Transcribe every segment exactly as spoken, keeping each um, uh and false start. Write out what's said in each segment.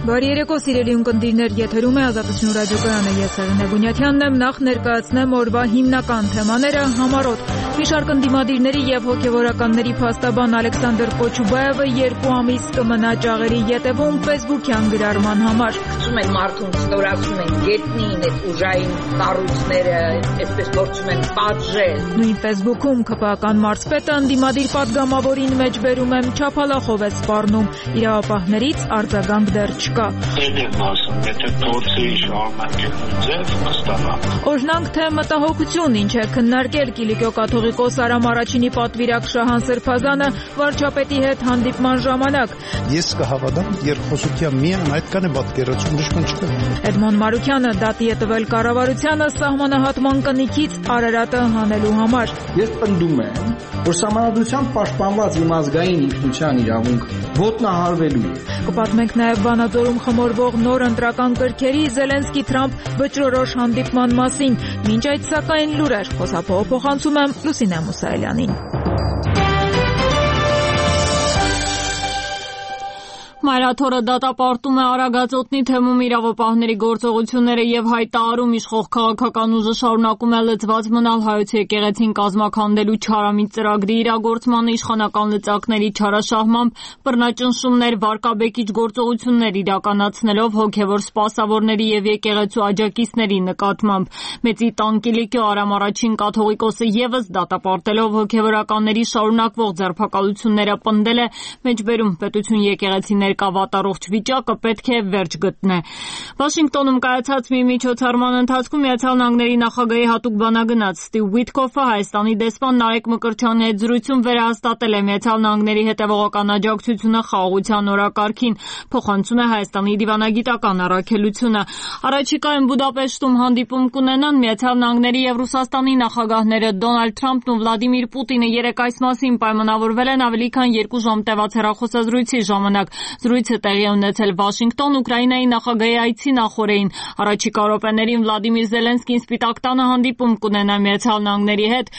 Բարի երեկո, սիրելի ունկնդիրներ, եթերում է Ազատություն ռադիոկայանը, ես Արինե Գունյաթյանն եմ, նախ ներկայացնեմ օրվա հիմնական թեմաները, համառոտ։ Մի շարք ընդդիմադիրների եւ հոգեվորականների փաստաբան Ալեքսանդր Կոչուբաևը երկու ամիս կմնա ճաղերի ետևում Facebook-յան գրառման համար։ Ասում են մարդուն ստորացում են գետնին, այդ ուժային կառույցները, այսպես գործում են պատժել։ Նույն Facebook-ում ՔՊԱ-ական մարզպետը ընդդիմադիր պատգամավորին մեջ բերում եմ չափալախով է սպառնում, իրավապահներից արձագանք դեռ չկա։ Դեպի ասում, եթե փորձի շարունակելու ձև կստանա։ Օրհնանք թե մտահոգություն ինչ է քննարկել Կիլիկիո կաթողիկոս Արամ Արաչինի պատվիրակ Շահան Սրբազանը վարչապետի հետ հանդիպման ժամանակ։ Ես կհավատամ երկխոսության միայն այդքան է պատկերացում, ոչ ոք չկա։ Էդմոն Մարուկյանը դատի է տվել կառավարությանը սահմանահատման կնիքից Արարատը հանելու համար։ Ես պնդում եմ, որ սահմանադրությամբ պաշտպանված իմ ազգային ինքնության իրավունք ոտնահարվելու է։ Կպատմենք նաև Վանաձորում խմորվող նոր ընտրական կրքերի Զելենսկի-Թրամփ վճռորոշ հանդիպման մասին։ Մինչ այդ սակայն լուրեր, խոսափողը փոխանցում եմ Լուսինե Մուսայելյանին։ Մայրաթորը դատապարտում է Արագածոտնի թեմում իրավապահների գործողությունները եւ հայտարարում իշխող քաղաքական ուժը շարունակում է լծված մնալ հայոց եկեղեցին կազմաքանդելու չարամիտ ծրագրի իրագործման իշխանական լծակների չարաշահմամբ բռնաճնշումներ, վարկաբեկիչ գործողություններ իրականացնելով հոգեվոր սպասավորների եւ եկեղեցու աջակիցների նկատմամբ։ Մեծի տան Կիլիկիո Արամ Արաչին կաթողիկոսը եւս դատապարտելով հոգեվորականների շարունակվող ձերբակալությունները պնդել է մեջբերում պետություն եկեղեցիներ կավատարողջ վիճակը պետք է վերջ գտնե։ Վաշինգտոնում կայացած մի միջոցառման ընթացքում Միացյալ Նահանգների նախագահի հատուկ բանագնաց Ստիվ Ուիթքոֆը Հայաստանի դեսպան Նարեկ Մկրտչյանի հետ զրույցում վերահաստատել է Միացյալ Նահանգների հետևողական աջակցությունը խաղաղության օրակարգին, փոխանցում է Հայաստանի դիվանագիտական առաքելությունը։ Առաջիկայում Բուդապեշտում հանդիպում կունենան Միացյալ Նահանգների եւ Ռուսաստանի նախագահները Դոնալդ Թրամփն ու Վլադիմիր Պուտինը երեկ այս մասին պայմանավորվել են ավելի քան երկու ժամ տևած հեռախոսազրույցի ժամանակ։ Զրույցը տեղի է ունեցել Վաշինգտոն, Ուկրաինայի նախագահի այցի նախօրեին։ Առաջիկա րոպեներին Վլադիմիր Զելենսկին Սպիտակ տանը հանդիպում կունենա Միացյալ Նահանգների հետ,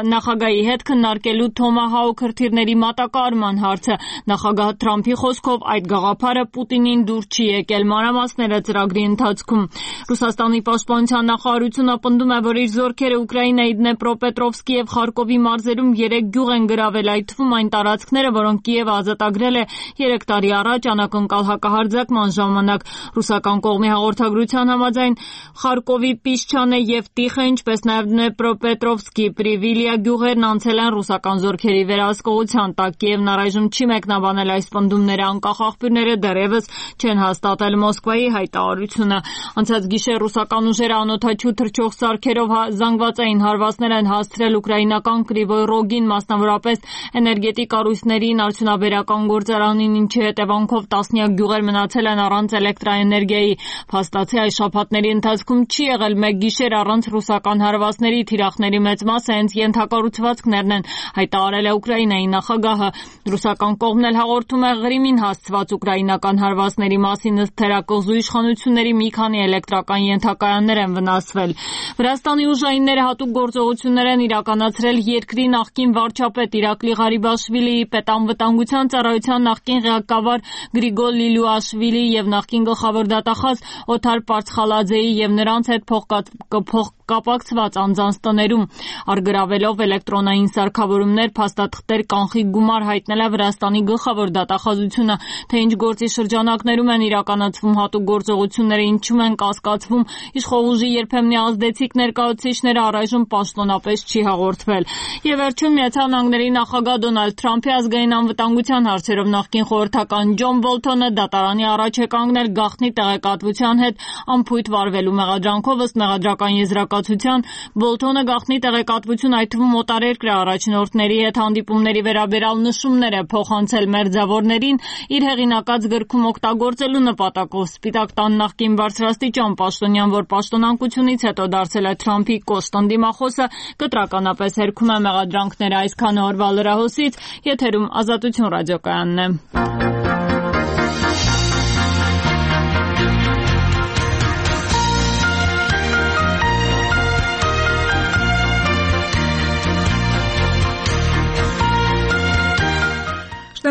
նախագահի հետ քննարկելու Թոմահաուք հրթիռների մատակարարման հարցը։ Նախագահ Թրամփի խոսքով այդ գաղափարը Պուտինին դուր չի եկել, մանրամասները ծրագրի ընթացքում։ Ռուսաստանի պաշտպանության նախարարությունը պնդում է, որ իր զորքերը Ուկրաինայի Դնեպրոպետրովսկի եւ Խարկովի մարզերում երեք գյուղ են գրավել, այդ թվում այն տարածքները, որոնք Կիևը ազատագրել է երեք տարի առաջ անակնկալ հակահարձակման ժամանակ։ Ռուսական կողմի հաղորդագրության համաձայն Խարկովի Պիսչանե եւ Տիխը, ինչպես նաեւ Դնեպրոպետրովսկի Պրիվիլիա գյուղերն անցել են ռուսական զորքերի վերահսկողության տակ։ Կիևն առայժմ չի մեկնաբանել այս պնդումները, անկախ աղբյուրները դեռևս չեն հաստատել Մոսկվայի հայտարարությունը։ Անցած գիշեր ռուսական ուժերը անօդաչու թռչող սարքերով զանգվածային հարվածներ են հասցրել ուկրաինական Կրիվոյ Ռոգին, մասնավորապես էներգետիկ կառույցներին, արդյունաբերական գործարանին, ինչի հետևանքով տասնյակ գյուղեր մնացել են առանց էլեկտրաէներգիայի։ Փաստացի այս շաբաթների ընթացքում չի եղել մեկ գիշեր առանց ռուսական հարվածների, թիրախների մեծ մասը հենց ենթակառուցվածքներն են, հայտարարել է Ուկրաինայի նախագահը։ Ռուսական կողմն էլ հաղորդում է Ղրիմին հասցված ուկրաինական հարվածների մասին, ըստ թերակղզու իշխանությունների մի քանի էլեկտրական ենթակայաններ են վնասվել։ Վրաստանի ուժայինները հատուկ գործողություններ են իրականացրել երկրի նախկին վարչապետ Իրակլի Ղարիբաշվիլիի, պետանվտանգության ծառայության նախկին ղեկավար Գրիգոր Լիլուաշվիլի եւ նախկին գլխավոր դատախազ Օթար Պարցխալաձեի եւ նրանց հետ փոխկապակցված անձանց տներում, արգրավելով էլեկտրոնային սարքավորումներ, փաստաթղթեր, կանխիկ գումար, հայտնել է Վրաստանի գլխավոր դատախազությունը, թե ինչ գործի շրջանակներում են իրականացվում հատուկ գործողությունները, ինչում են կասկածվում իշխող ուժի երբեմնի ազդեցիկ ներկայացուցիչները, առայժմ պաշտոնապես չի հաղորդվել։ Եվ վերջում Միացյալ Նահանգների նախագահ Դոնալդ Թրամփի ազգային անվտանգության հարցերով նախկին խորհրդական Ջոն Բոլթոնը դատարանի առաջ է կանգնել գաղտնի տեղեկատվության հետ անփույթ վարվելու մեղադրանքով, ըստ մեղադրական եզրակացության Բոլթոնը գաղտնի տեղեկատվություն, այդ թվում օտարերկրյա առաջնորդների հետ հանդիպումների վերաբերյալ նշումներ է փոխանցել մերձավորներին իր հեղինակած գրքում օգտագործելու նպատակով։ Սպիտակ տան նախկին բարձրաստիճան պաշտոնյան, որ պաշտոնանկությունից հետո դարձել է Թրամփի կոշտ ընդդիմախոսը, կտրականապես հերքում է մեղադրանքները։ Այսքանը օրվա լրահոսից, եթերում Ազատություն ռադիոկայանն է։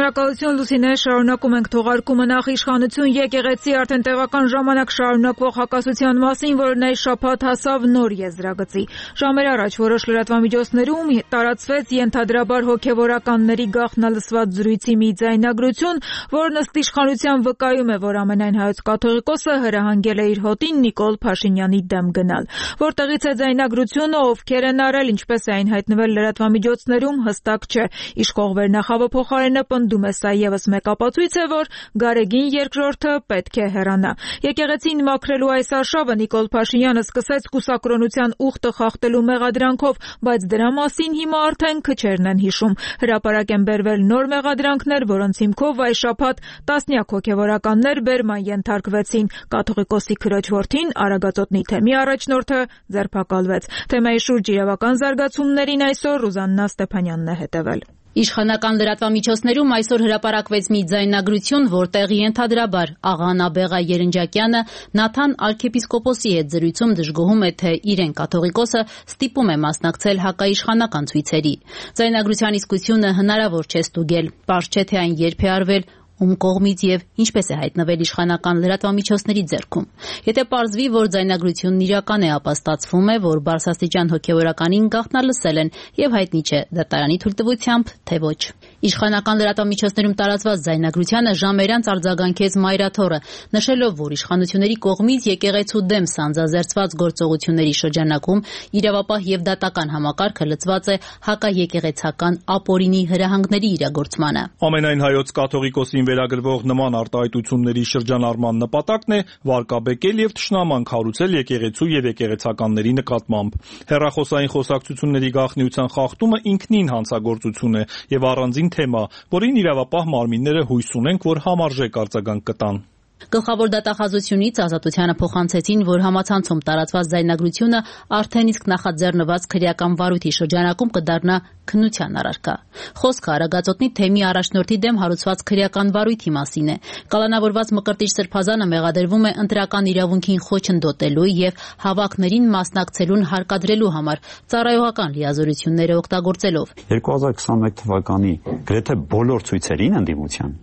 Շնորհակալություն Լուսինե, շարունակում ենք թողարկումը նախ իշխանություն եկեղեցի արդեն տեղական ժամանակ շարունակվող հակասության մասին, որը այս շաբաթ հասավ նոր եզրագծի։ Ժամեր առաջ որոշ լրատվամիջոցներում տարածվեց ենթադրաբար հոգևորականների գաղտնալսված զրույցի մի ձայնագրություն, որն ըստ իշխանության վկայում է, որ ամենայն հայոց կաթողիկոսը հրահանգել է իր հոտին Նիկոլ Փաշինյանի դեմ գնալ։ Որտեղից է ձայնագրությունը, ովքեր են արել, ինչպես է այն հայտնվել լրատվամիջոցներում, հստակ չէ։ Իշխող վերնախավը փոխարենը պնդում է, սա ևս մեկ ապացույց է, որ Գարեգին երկրորդը պետք է հեռանա։ Եկեղեցին մաքրելու այս արշավը Նիկոլ Փաշինյանը սկսեց կուսակրոնության ուխտը խախտելու մեղադրանքով, բայց դրա մասին հիմա արդեն քչերն են հիշում։ Հրապարակ են բերվել նոր մեղադրանքներ, որոնց հիմքով այս շաբաթ տասնյակ հոգևորականներ բերման ենթարկվեցին։ Կաթողիկոսի քրոջ որդին, Արագածոտնի թեմի առաջնորդը, ձերբակալվեց։ Թեմայի շուրջ իրավական զարգացումներին այսօր Ռուզաննա Ստեփանյանն է հետևել։ Իշխանական լրատվամիջոցներում այսօր հրապարակվեց մի ձայնագրություն, որտեղ ենթադրաբար աղա Նաբեղա Երնջակյանը Նաթան արքեպիսկոպոսի հետ զրույցում դժգոհում է, թե իրեն կաթողիկոսը ստիպում է մասնակցել հակաիշխանական ցույցերի։ Ձայնագրության իսկությունը հնարավոր չէ ստուգել, պարզ չէ, թե այն երբ է արվել, ում կողմից եւ ինչպես է հայտնվել իշխանական լրատվամիջոցների ձեռքում։ Եթե պարզվի, որ ձայնագրությունն իրական է, ապա ստացվում է, որ բարձրաստիճան հոգևորականին գաղտնալսել են եւ հայտնի չէ դատարանի թույլտվությամբ, թե ոչ։ Իշխանական լրատվամիջոցներում տարածված ձայնագրությանը ժամեր անց արձագանքեց Մայրաթորը, նշելով, որ իշխանությունների կողմից եկեղեցու դեմ սանձազերծված գործողությունների շրջանակում իրավապահ եւ դատական համակարգը լծված է հակաեկեղեցական ապօրինի հրահանգների իրագործմանը։ Ամենայն հայոց կաթողիկոսի վերագրվող նման արտահայտությունների շրջանառման նպատակն է վարկաբեկել եւ թշնաման քարոզել եկեղեցու եւ եկեղեցականների նկատմամբ։ Հեռախոսային խոսակցությունների գաղտնիության խախտումը ինքնին հանցագործություն է եւ առանձին թեմա, որին իրավապահ մարմինները հույս ունենք, որ համարժեք արձագանք կտան։ Գլխավոր դատախազությունից Ազատությանը փոխանցեցին, որ համացանցում տարածված ձայնագրությունը արդեն իսկ նախաձեռնված քրեական վարույթի շրջանակում կդառնա քննության առարկա։ Խոսքը Արագածոտնի թեմի առաջնորդի դեմ հարուցված քրեական վարույթի մասին է։ Կալանավորված Մկրտիչ Սրբազանը մեղադրվում է ընտրական իրավունքին խոչընդոտելու եւ հավաքներին մասնակցելուն հարկադրելու համար ծառայողական լիազորությունները օգտագործելով։ երկու հազար քսաներեք թվականի գրեթե բոլոր ցույցերին ընդդիմության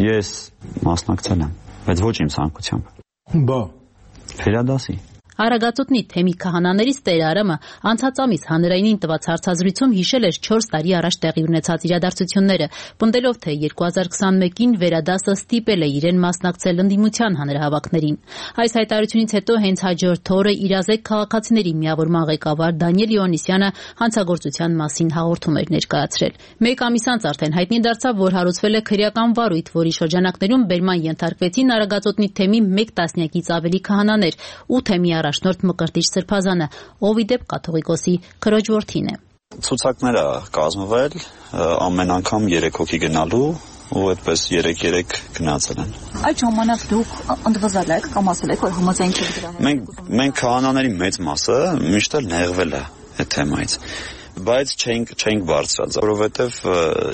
ես մասնակցել եմ, բայց ոչ իմ ցանկությամբ։ Բա Ֆերադասի Արագածոտնի թեմի քահանաներից Տեր Արամը անցած ամիս հանրայինին տված հարցազրույցում հիշել էր չորս տարի առաջ տեղի ունեցած իրադարձությունները, պնդելով, թե երկու հազար քսաներեքին Վերադասը ստիպել է իրեն մասնակցել ընդդիմության հանրահավաքներին։ Այս հայտարարությունից հետո հենց հաջորդ օրը իրազեկ քաղաքացիների միավորման ղեկավար Դանիել Իոաննիսյանը հանցագործության մասին հաղորդում էր ներկայացրել։ Մեկ ամիս անց արդեն հայտնի դարձավ, որ հարուցվել է քրեական վարույթ, որի շրջանակներում բերման ենթարկվեցին Արագածոտնի թեմի մեկ տասնյակից ավելի քահանաներ ու թեմի առաջնորդ Մկրտիչ Սրբազանը, ով ի դեպ կաթողիկոսի քրոջ որդին է։ Ցուցակները կազմվել ամեն անգամ երեք հոգի գնալու ու այդպես երեք-երեք գնացել են։ Այդ ժամանակ դուք ընդվզել եք կամ ասել եք, որ համաձայնք եք դրա հետ։ Մենք մենք քահանաների մեծ մասը միշտ էլ նեղվել է այդ թեմայից, բայց չենք չենք բարձրացած, որովհետև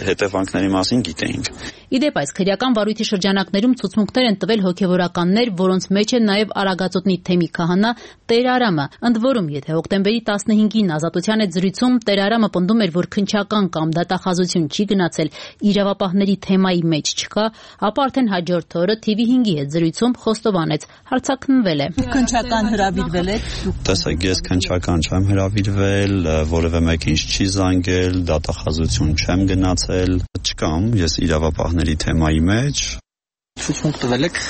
հետևանքների մասին գիտեինք։ Իդեպ այս քրեական վարույթի շրջանակներում ցուցմունքներ են տվել հոգևորականներ, որոնց մեջ է նաև Արագածոտնի թեմի քահանա Տեր Արամը։ Ընդ որում, եթե հոկտեմբերի տասնհինգին Ազատության հետ զրույցում Տեր Արամը պնդում էր, որ քննչական կամ դատախազություն չի գնացել, իրավապահների թեմայի մեջ չկա, ապա արդեն հաջորդ օրը Թ V հինգի հետ զրույցում խոստովանեց, հարցաքննվել է։ Քննչական հրավիրվել եք։ Տեսեք, ես քննչական չեմ հրավիրվել, որևէ մեկ ինձ չի զանգել, դատախազություն չեմ գնացել, չկամ, ես իրավապահների թեմայի մեջ։ Ցուցմունք տվել եք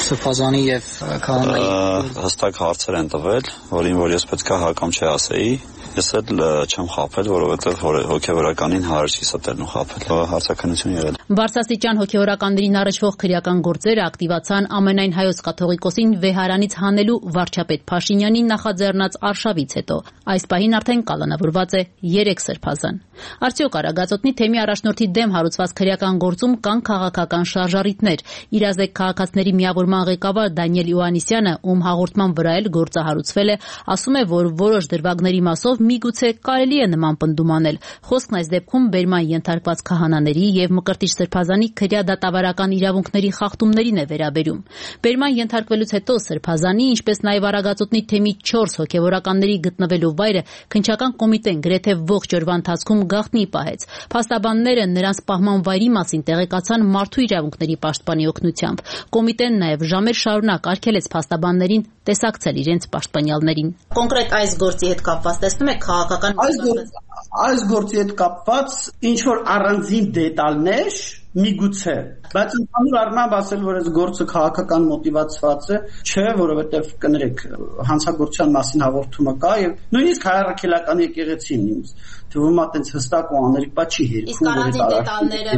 Սրբազանի եւ քահանայի։ Հստակ հարցեր են տվել, որին որ ես պետք է հա կամ չէ ասեի։ Ես էլ չեմ խաբել, որովհետև հոգևորականին հարց չի ստելն ու խաբել։ Հարցաքննություն եղել։ Բարձրաստիճան հոգևորականներին առնչվող քրեական գործերը ակտիվացան ամենայն հայոց կաթողիկոսին վեհարանից հանելու վարչապետ Փաշինյանի նախաձեռնած արշավից հետո։ Այս պահին արդեն կալանավորված է երեք սրբազան։ Արդյոք Արագածոտնի թեմի առաջնորդի դեմ հարուցված քրեական գործում կան քաղաքական շարժառիթներ։ Իրազեկ քաղաքացիների միավորման ղեկավար Դանիել Իոաննիսյանը, ում հաղորդման վրա էլ գործը հարուցվել է, ասում է, որ որոշ դրվագների մասով միգուցե կարելի է նման պնդում անել։ Խոսքն այս դեպքում բերման ենթարկված քահանաների եւ Մկրտիչ Սրբազանի քրեադատավարական իրավունքների խախտումներին է վերաբերում։ Բերման ենթարկվելուց հետո Սրբազանի, ինչպես նաեւ Արագածոտնի թեմի չորս հոգեվորականների գտնվելու վայրը քննչական կոմիտեն գրեթե ողջ օրվա ընթացքում գաղտնի պահեց։ Փաստաբանները նրանց պահման վայրի մասին տեղեկացան Մարդու իրավունքների պաշտպանի օգնությամբ։ Կոմիտեն նաեւ ժամեր շարունակ արգելեց փաստաբաններին տեսակցել իրենց պաշտպանյալներին։ Կոնկրետ այս գործի հետ կապված տեսնում եք քաղաքական այս գործի հետ կապված ինչ որ առանձին դետալներ միգուցե, բայց ընդհանուր առմամբ ասել, որ այս գործը քաղաքական մոտիվացված է, չէ, որովհետև կներեք, հանցագործության մասին հաղորդումը կա եւ նույնիսկ հայ առաքելական եկեղեցին ինձ թվում է այդպես հստակ ու աներկբա չի հերքում։ Իսկ առանձին դետալները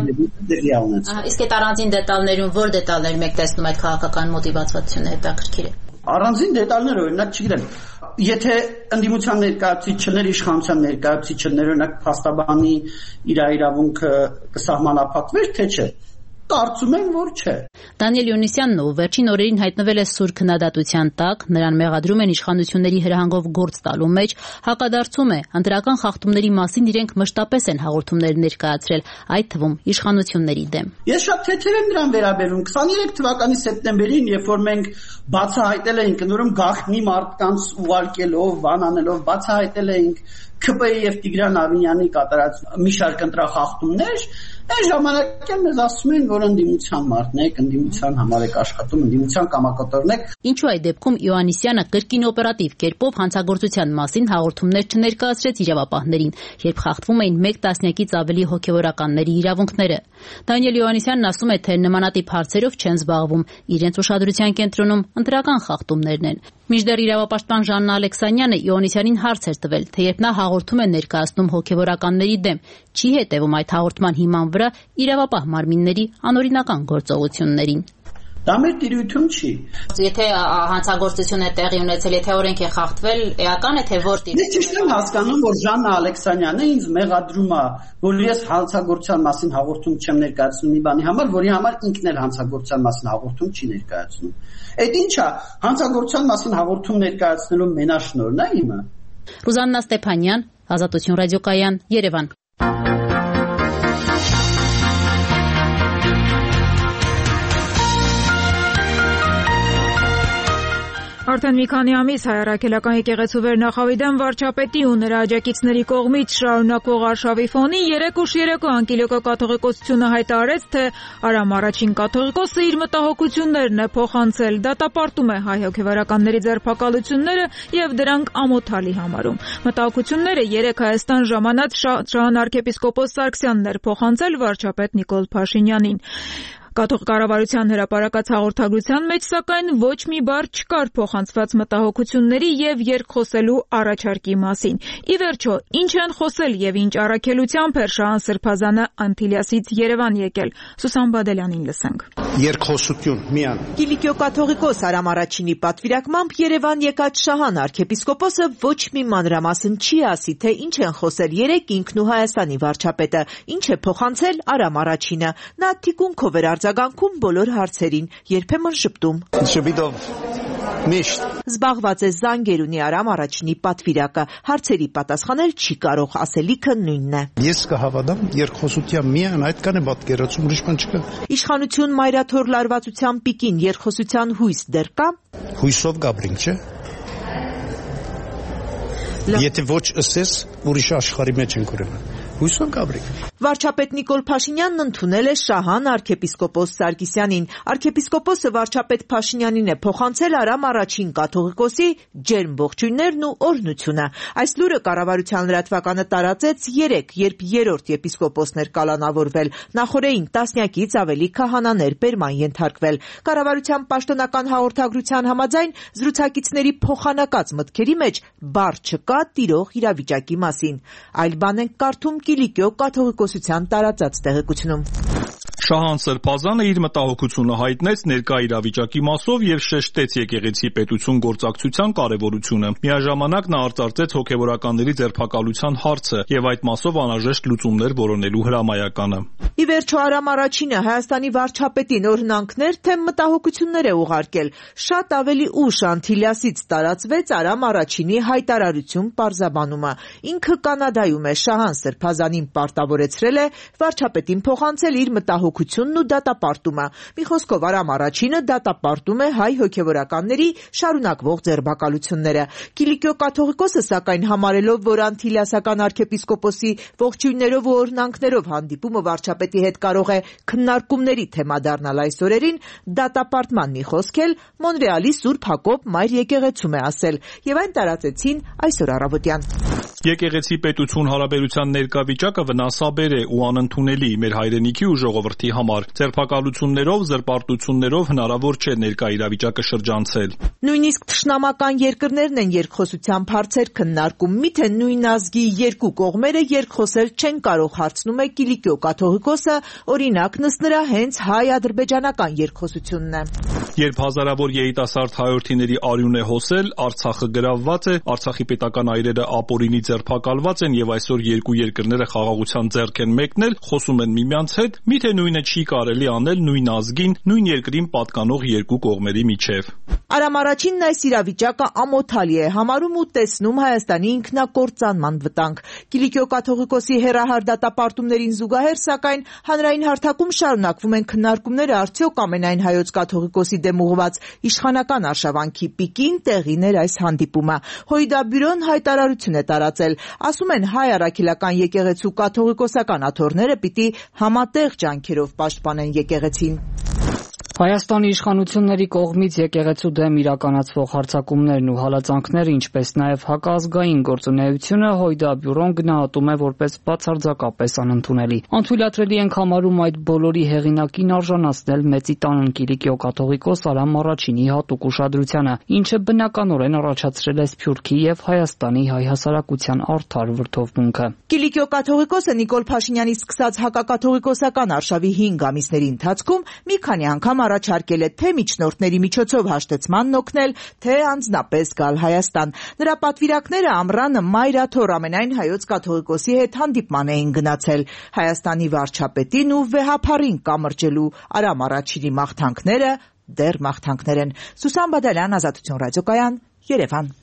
Իսկ այդ առանձին դետալներում որ դետալներ մեկ տեսնում այդ քաղաքական մոտիվացվածությունը հետաքրքիր է։ Առանձին դետալներ օրինակ չգիտեմ, եթե ընդդիմության ներկայացուցիչներ, իշխանության ներկայացուցիչներ օրինակ փաստաբանի իր իրավունքը կսահմանափակվեր, թե չէ։ Կարծում եմ, որ չէ։ Դանիել Յոնիսյանն ով վերջին օրերին հայտնվել է սուր քննադատության տակ, նրան մեղադրում են իշխանությունների հրահանգով գործ տալու մեջ, հակադարձում է ընտրական խախտումների մասին իրենք մշտապես են հաղորդումներ ներկայացրել, այդ թվում իշխանությունների դեմ։ Ես շատ թեթև եմ նրան վերաբերում քսաներեք թվականի սեպտեմբերին, երբ որ մենք բացահայտել էինք նորում գաղտնի մարդկանց ուղարկելով, բանանելով, բացահայտել էինք Ք Բ եւ Տիգրան Ավինյանի կատարած մի շարք ընտրախախտումներ, այն ժամանակ էլ մեզ ասում են, որ ընդդիմության մարդն եք, ընդդիմության համար եք աշխատում, ընդդիմության կամակատորն եք։ Ինչու այդ դեպքում Իոաննիսյանը կրկին օպերատիվ կերպով հանցագործության մասին հաղորդումներ չներկայացրեց իրավապահներին, երբ խախտվում էին մեկ տասնյակից ավելի հոգեվորականների իրավունքները։ Դանիել Իոաննիսյանն ասում է, թե նմանատիպ հարցերով չեն զբաղվում, իրենց ուշադրության կենտրոնում ընտրական խախտումներն են։ Մինչդեռ իրավապաշտպան Ժաննա Ալեքսանյանը Իոաննիսյանին հարց էր տվել, թե երբ նա հաղորդում է ներկայացնում հոգեվորականների դեմ, չի հետևում այդ հաղորդման հիման վրա իրավապահ մարմինների անօրինական գործողություններին։ Դա մեր տիրույթում չի։ Եթե հանցագործություն է տեղի ունեցել, եթե օրենք է խախտվել, էական է թե որ տիրույթ։ Ես ճիշտ եմ հասկանում, որ Ժաննա Ալեքսանյանը ինձ մեղադրում է, որ ես հանցագործության մասին հաղորդում չեմ ներկայացնում մի բանի համար, որի համար ինքն էլ հանցագործության մասին հաղորդում չի ներկայացնում։ Այդ ի՞նչ է, հանցագործության մասին հաղորդում ներկայացնելու մենաշնորհն է իմը։ Ռուզաննա Ստեփանյան, Ազատություն ռադիոկայան, Երևան։ Արդեն մի քանի ամիս Հայ առաքելական եկեղեցու վերնախավիդան վարչապետի ու նրա աջակիցների կողմից շարունակվող արշավի ֆոնին երեկ ուշ երեկո Անկիլիոկա կաթողիկոսությունը հայտարարեց, թե Արամ առաջին կաթողիկոսը իր մտահոգություններն է փոխանցել, դատապարտում է հայ հոգևորականների ձերբակալությունները եւ դրանք ամոթալի համարում։ Մտահոգությունները երեկ Հայաստան ժամանած Շահան arczepiskopos Սարգսյանն էր փոխանցել վարչապետ Նիկոլ Փաշինյանին։ Կաթողիկ կառավարության հրապարակած հաղորդագրության մեջ սակայն ոչ մի բառ չկար փոխանցված մտահոգությունների եւ երկխոսելու առաջարկի մասին։ Ի վերջո, ինչ են խոսել եւ ինչ առաքելությամբ էր Շահան Սրբազանը Անտիլիասից Երևան եկել։ Սուսան Բադելյանին լսենք։ Երկխոսություն միան։ Կիլիկիո կաթողիկոս Արամ առաջինի պատվիրակմամբ Երևան եկած Շահան arczepiskopos-ը ոչ մի մանրամասն չի ասի, թե ինչ են խոսել երեկ ինքն ու Հայաստանի վարչապետը, ինչ է փոխանցել Արամ առաջինը։ Նա թիկունքով էր արձագանքում բոլոր հարցերին, երբեմն շփտում։ Շփիտով միշտ զբաղված է զանգեր ունի Արամ առաջինի պատվիրակը, հարցերի պատասխանել չի կարող, ասելիքը նույնն է։ Ես կհավատամ երկխոսության միան այդքան է պատկերացում, ուրիշ բան չկա։ Իշխանություն մայրաթոր լարվածության պիկին երկխոսության հույս դեռ կա։ Հույսով գաբրինք, չէ։ Եթե ոչ ըսես, ուրիշ աշխարհի մեջ ենք ուրեմն։ Հույսով գաբրինք։ Վարչապետ Նիկոլ Փաշինյանն ընդունել է Շահան arczepiskopos Սարգսյանին։ Arczepiskopos-ը վարչապետ Փաշինյանին է փոխանցել Արամ առաջին կաթողիկոսի ջերմ ողջույններն ու օրհնությունը։ Այս լուրը կառավարության լրատվականը տարածեց երեկ, երբ երրորդ եպիսկոպոսն էր կալանավորվել, նախորդին տասնյակից ավելի քահանաներ բերման ենթարկվել։ Կառավարության պաշտոնական հաղորդագրության համաձայն զրուցակիցների փոխանակած մտքերի մեջ բառ չկա տիրող իրավիճակի մասին։ Այլ բան են կարդում Կիլիկիո կաթողիկոսության տարածած տեղեկությունում։ Շահան Սրբազանը իր մտահոգությունը հայտնեց ներկա իրավիճակի մասով եւ շեշտեց եկեղեցի պետություն գործակցության կարեւորությունը։ Միաժամանակ նա արծարծեց հոգեվորականների ձերբակալության հարցը եւ այդ մասով անհրաժեշտ լուծումներ որոնելու հրամայականը։ Ի վերջո Արամ Առաջինը Հայաստանի վարչապետին օրհնանքներ թե մտահոգություններ է ուղարկել։ Շատ ավելի ուշ Անտիլիասից տարածվեց Արամ Առաջինի հայտարարություն պարզաբանումը։ Ինքը Կանադայում է, Շահան Սրբազանին պարտավորեցրել է վարչապետին փոխանցել իր մտահոգությունն ու դատապարտումը։ Մի խոսքով Արամ Առաջինը դատապարտում է հայ հոգևորականների շարունակվող ձերբակալությունները։ Կիլիկիո կաթողիկոսը սակայն համարելով, որ Անտիլիասական arczepiskoposi ողջույններով ու օրհնանքներով հանդիպումը վարչապետի հետ կարող է քննարկումների թեմա դառնալ այս օրերին, դատապարտման մի խոսք էլ Մոնրեալի Սուրբ Հակոբ Մայր եկեղեցում է ասել, եւ այն տարածեցին այսօր առավոտյան։ Եկեղեցի պետություն հարաբերության ներկա վիճակը վնասաբեր է ու անընդունելի մեր հայրենիքի ու ժողովրդի համար։ Ձերբակալություններով, զրպարտություններով հնարավոր չէ ներկա իրավիճակը շրջանցել։ Նույնիսկ թշնամական երկրներն են երկխոսության հարցեր քննարկում, միթե նույն ազգի երկու կողմերը երկխոսել չեն կարող, հարցնում է Կիլիկիո կաթողիկոսը, օրինակն ըստ նրա հենց հայ-ադրբեջանական երկխոսությունն է։ Երբ հազարավոր երիտասարդ հայրենիների արյուն է հոսել, Արցախը գրավված է, Արցախի պետական այրերը ապօրինի ձերբակալված են եւ այսօր երկու երկրները խաղաղության ձեռք են մեկնել, խոսում են միմյանց հետ, միթե նույնը չի կարելի անել նույն ազգին, նույն երկրին պատկանող երկու կողմերի միջև։ Արամ Առաջինն այս իրավիճակը ամոթալի է համարում ու տեսնում Հայաստանի ինքնակործանման վտանգ։ Կիլիկիո կաթողիկոսի հեռահար դատապարտումներին զուգահեռ, սակայն հանրային հարթակում շարունակվում են քննարկումները, արդյոք ամենայն հայոց կաթողիկոսի դեմ ուղղված իշխանական արշավանքի պիկին տեղին էր այս հանդիպումը։ Հույդաբյուրոն հայտարարություն է տարածել, ասում են հայ առաքելական եկեղեցու կաթողիկոսական աթոռները պիտի համատեղ ջանքերով պաշտպանեն եկեղեցին։ Հայաստանի իշխանությունների կողմից եկեղեցու դեմ իրականացվող հարձակումներն ու հալածանքները, ինչպես նաև հակազգային գործունեությունը Հույդաբյուրոն գնահատում է որպես բացարձակապես անընդունելի։ Անթույլատրելի ենք համարում այդ բոլորի հեղինակին արժանացնել Մեծի տանն Կիլիկիո կաթողիկոս Արամ Առաջինի հատուկ ուշադրությանը, ինչը բնականորեն առաջացրել է Սփյուռքի եւ Հայաստանի հայ հասարակության արդար վրդովմունքը։ Կիլիկիո կաթողիկոսը Նիկոլ Փաշինյանի սկսած հակակաթողիկոսական արշավի հինգ ամիսների ընթացքում մի քանի անգամ առաջարկել է թե միջնորդների միջոցով հաշտեցմանն օգնել, թե անձնապես գալ Հայաստան։ Նրա պատվիրակները ամռանը Մայրաթոր ամենայն հայոց կաթողիկոսի հետ հանդիպման էին գնացել։ Հայաստանի վարչապետին ու վեհափառին կամրջելու Արամ Առաջինի մաղթանքները դեռ մաղթանքներ են։ Սուսան Բադալյան, Ազատություն ռադիոկայան, Երևան։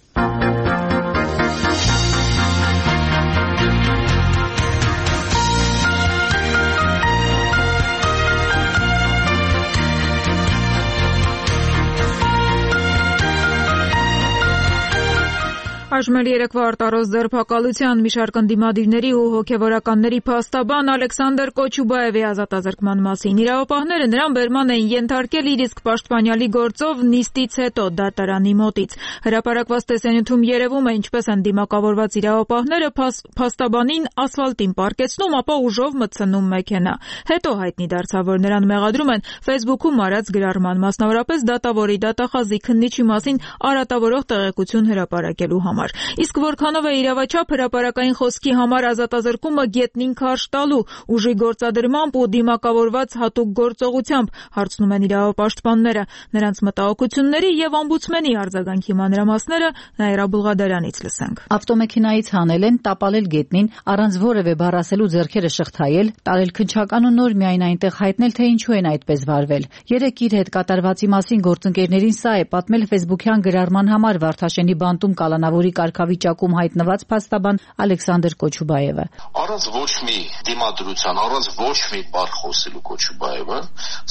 Այժմ երեկվա արտարոց ձերբակալության մի շարք ընդդիմադիրների ու հոգևորականների փաստաբան Ալեքսանդր Կոչուբաևի ազատազրկման մասին։ Իրավապահները նրան բերման էին ենթարկել իր իսկ պաշտպանյալի գործով նիստից հետո դատարանի մոտից։ Հրապարակված տեսանյութում երևում է, ինչպես են դիմակավորված իրավապահները փաստաբանին ասֆալտին պարկեցնում, ապա ուժով մտցնում մեքենա։ Հետո հայտնի դարձավ, որ նրան մեղադրում են Facebook-ում արած գրառման, մասնավորապես դատավորի դատախազի քննիչի մասին արատավորող տեղեկություն հրապարակելու համար։ Իսկ որքանով է իրավաչափ հրապարակային խոսքի համար ազատազրկումը գետնին քարշ տալու, ուժի գործադրմամբ ու դիմակավորված հատուկ գործողությամբ, հարցնում են իրավապաշտպանները։ Նրանց մտահոգությունների եւ օմբուդսմենի արձագանքի մանրամասները Նաիրա Բուլղադարյանից լսենք։ Ավտոմեքենայից հանել են, տապալել գետնին, առանց որևէ բառ ասելու ձեռքերը շղթայել, տարել քնչական ու նոր միայն այնտեղ հայտնել, թե ինչու են այդպես վարվել։ Երեք իր հետ կատարվածի մասին գործընկերներին սա է պատմել Facebook-յան գրառման համար Վարդաշենի բանտում կալանավորի կարգավիճակում հայտնված փաստաբան Ալեքսանդր Կոչուբաևը։ Առանց ոչ մի դիմադրության, առանց ոչ մի բառ խոսելու Կոչուբաևը,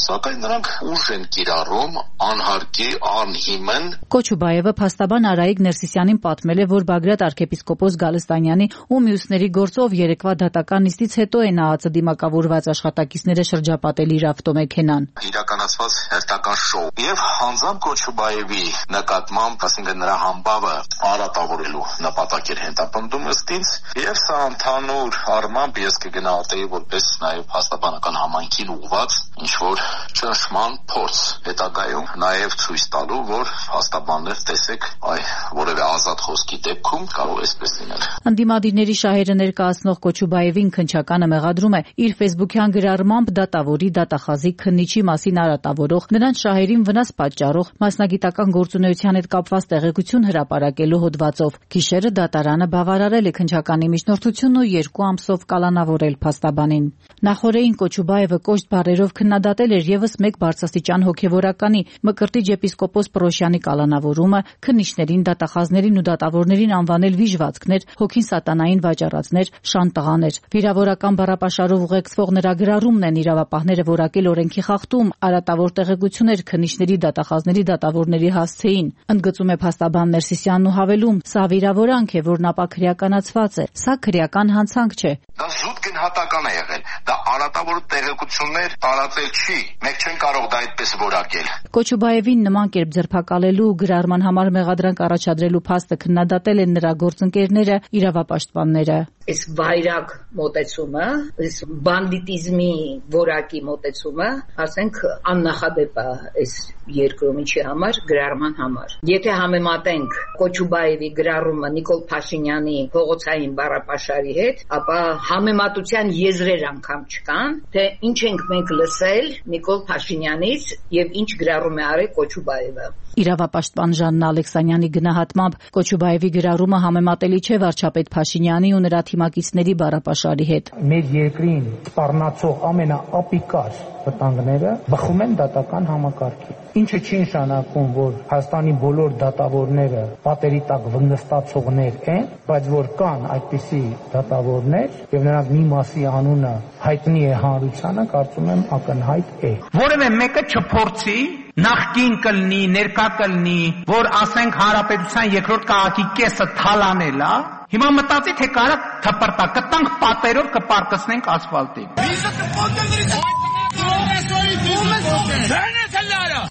սակայն նրանք ուժ են կիրառում անհարկի, անհիմն։ Կոչուբաևը փաստաբան Արայիկ Ներսիսյանին պատմել է, որ Բագրատ arczepiskopos Գալստանյանի ու մյուսների գործով երեկվա դատական նիստից հետո է ՆԱԱՑ դիմակավորված աշխատակիցները շրջապատել իր ավտոմեքենան։ Իրականացված հերթական շոու եւ հանձամբ Կոչուբաևի նկատմամբ, ասենք նրա համբավը արատավոր դրսևորելու նպատակ էր հետապնդում ըստ ինձ, եւ սա ընդհանուր առմամբ ես կգնահատեի որպես նաեւ փաստաբանական համայնքին ուղղված ինչ որ ճնշման փորձ, հետագայում նաեւ ցույց տալու, որ փաստաբաններ տեսեք, այ որևէ ազատ խոսքի դեպքում կարող է այսպես լինել։ Ընդդիմադիրների շահերը ներկայացնող Կոչուբաևին քննչականը մեղադրում է իր ֆեյսբուքյան գրառմամբ դատավորի, դատախազի, քննիչի մասին արատավորող, նրանց շահերին վնաս պատճառող, մասնագիտական գործունեության հետ կապված տեղեկություն հրապարակելու հոդվածով։ Գիշերը դատարանը բավարարել է քննչականի միջնորդությունն ու երկու ամսով կալանավորել փաստաբանին։ Նախորդին Կոչուբաևը կոշտ բառերով քննադատել էր եւս մեկ բարձրաստիճան հոգեվորականի Մկրտիչ եպիսկոպոս Պրոշյանի կալանավորումը, քննիչներին, դատախազներին ու դատավորներին անվանել վիժվածքներ, հոգին սատանային վաճառածներ, շանտղաներ։ Վիրավորական բառապաշարով ուղեկցվող նրա գրառումն են իրավապահները որակել օրենքի խախտում, արատավոր տեղեկություններ քննիչների, դատախազների, դատավորների հասցեին։ Ընդգծում է փաստաբան Ներսիսյանն ու հավելում. սա վիրավորանք է, որն ապա քրեականացված է։ Սա քրեական հանցանք չէ։ Դա զուտ գնահատական է եղել։ Դա արատավոր տեղեկություններ տարածել չի։ Մենք չենք կարող դա այդպես որակել։ Կոչուբաևին նման կերպ ձերբակալելու գրառման համար մեղադրանք առաջադրելու փաստը քննադատել են նրա գործընկերները, իրավապաշտպանները։ Այս վայրագ մոտեցումը, այս բանդիտիզմի որակի մոտեցումը, ասենք աննախադեպ է այս երկրոմիջի համար, գրառման համար։ Եթե համեմատենք Կոչուբաևի գրառումը Նիկոլ Փաշինյանի փողոցային բառապաշարի հետ, ապա համեմատության եզրեր անգամ չկան, թե ինչ ենք մենք լսել Նիկոլ Փաշինյանից եւ ինչ գրառում է արել Կոչուբաևը։ Իրավապաշտպան Ժաննա Ալեքսանյանի գնահատմամբ Կոչուբաևի գրառումը համեմատելի չէ վարչապետ Փաշինյանի ու նրա թիմակիցների բառապաշարի հետ։ Մեր երկրին սպառնացող ամենաապիկար վտանգները բխում են դատական համակարգից։ Ինչը չի նշանակում, որ Հայաստանի բոլոր դատավորները պատերի տակ վնստացողներ են, բայց որ կան այդպիսի դատավորներ եւ նրանք մի մասի անունը հայտնի է հանրությանը, կարծում եմ ակնհայտ է։ Որևէ մեկը չփորձի նախկին կլնի, ներկա կլնի, որ ասենք հանրապետության երկրորդ քաղաքի կեսը թալանել է, հիմա մտածի թե կարա թպրտա, կտանք պատերով կպարկսնենք ասֆալտին։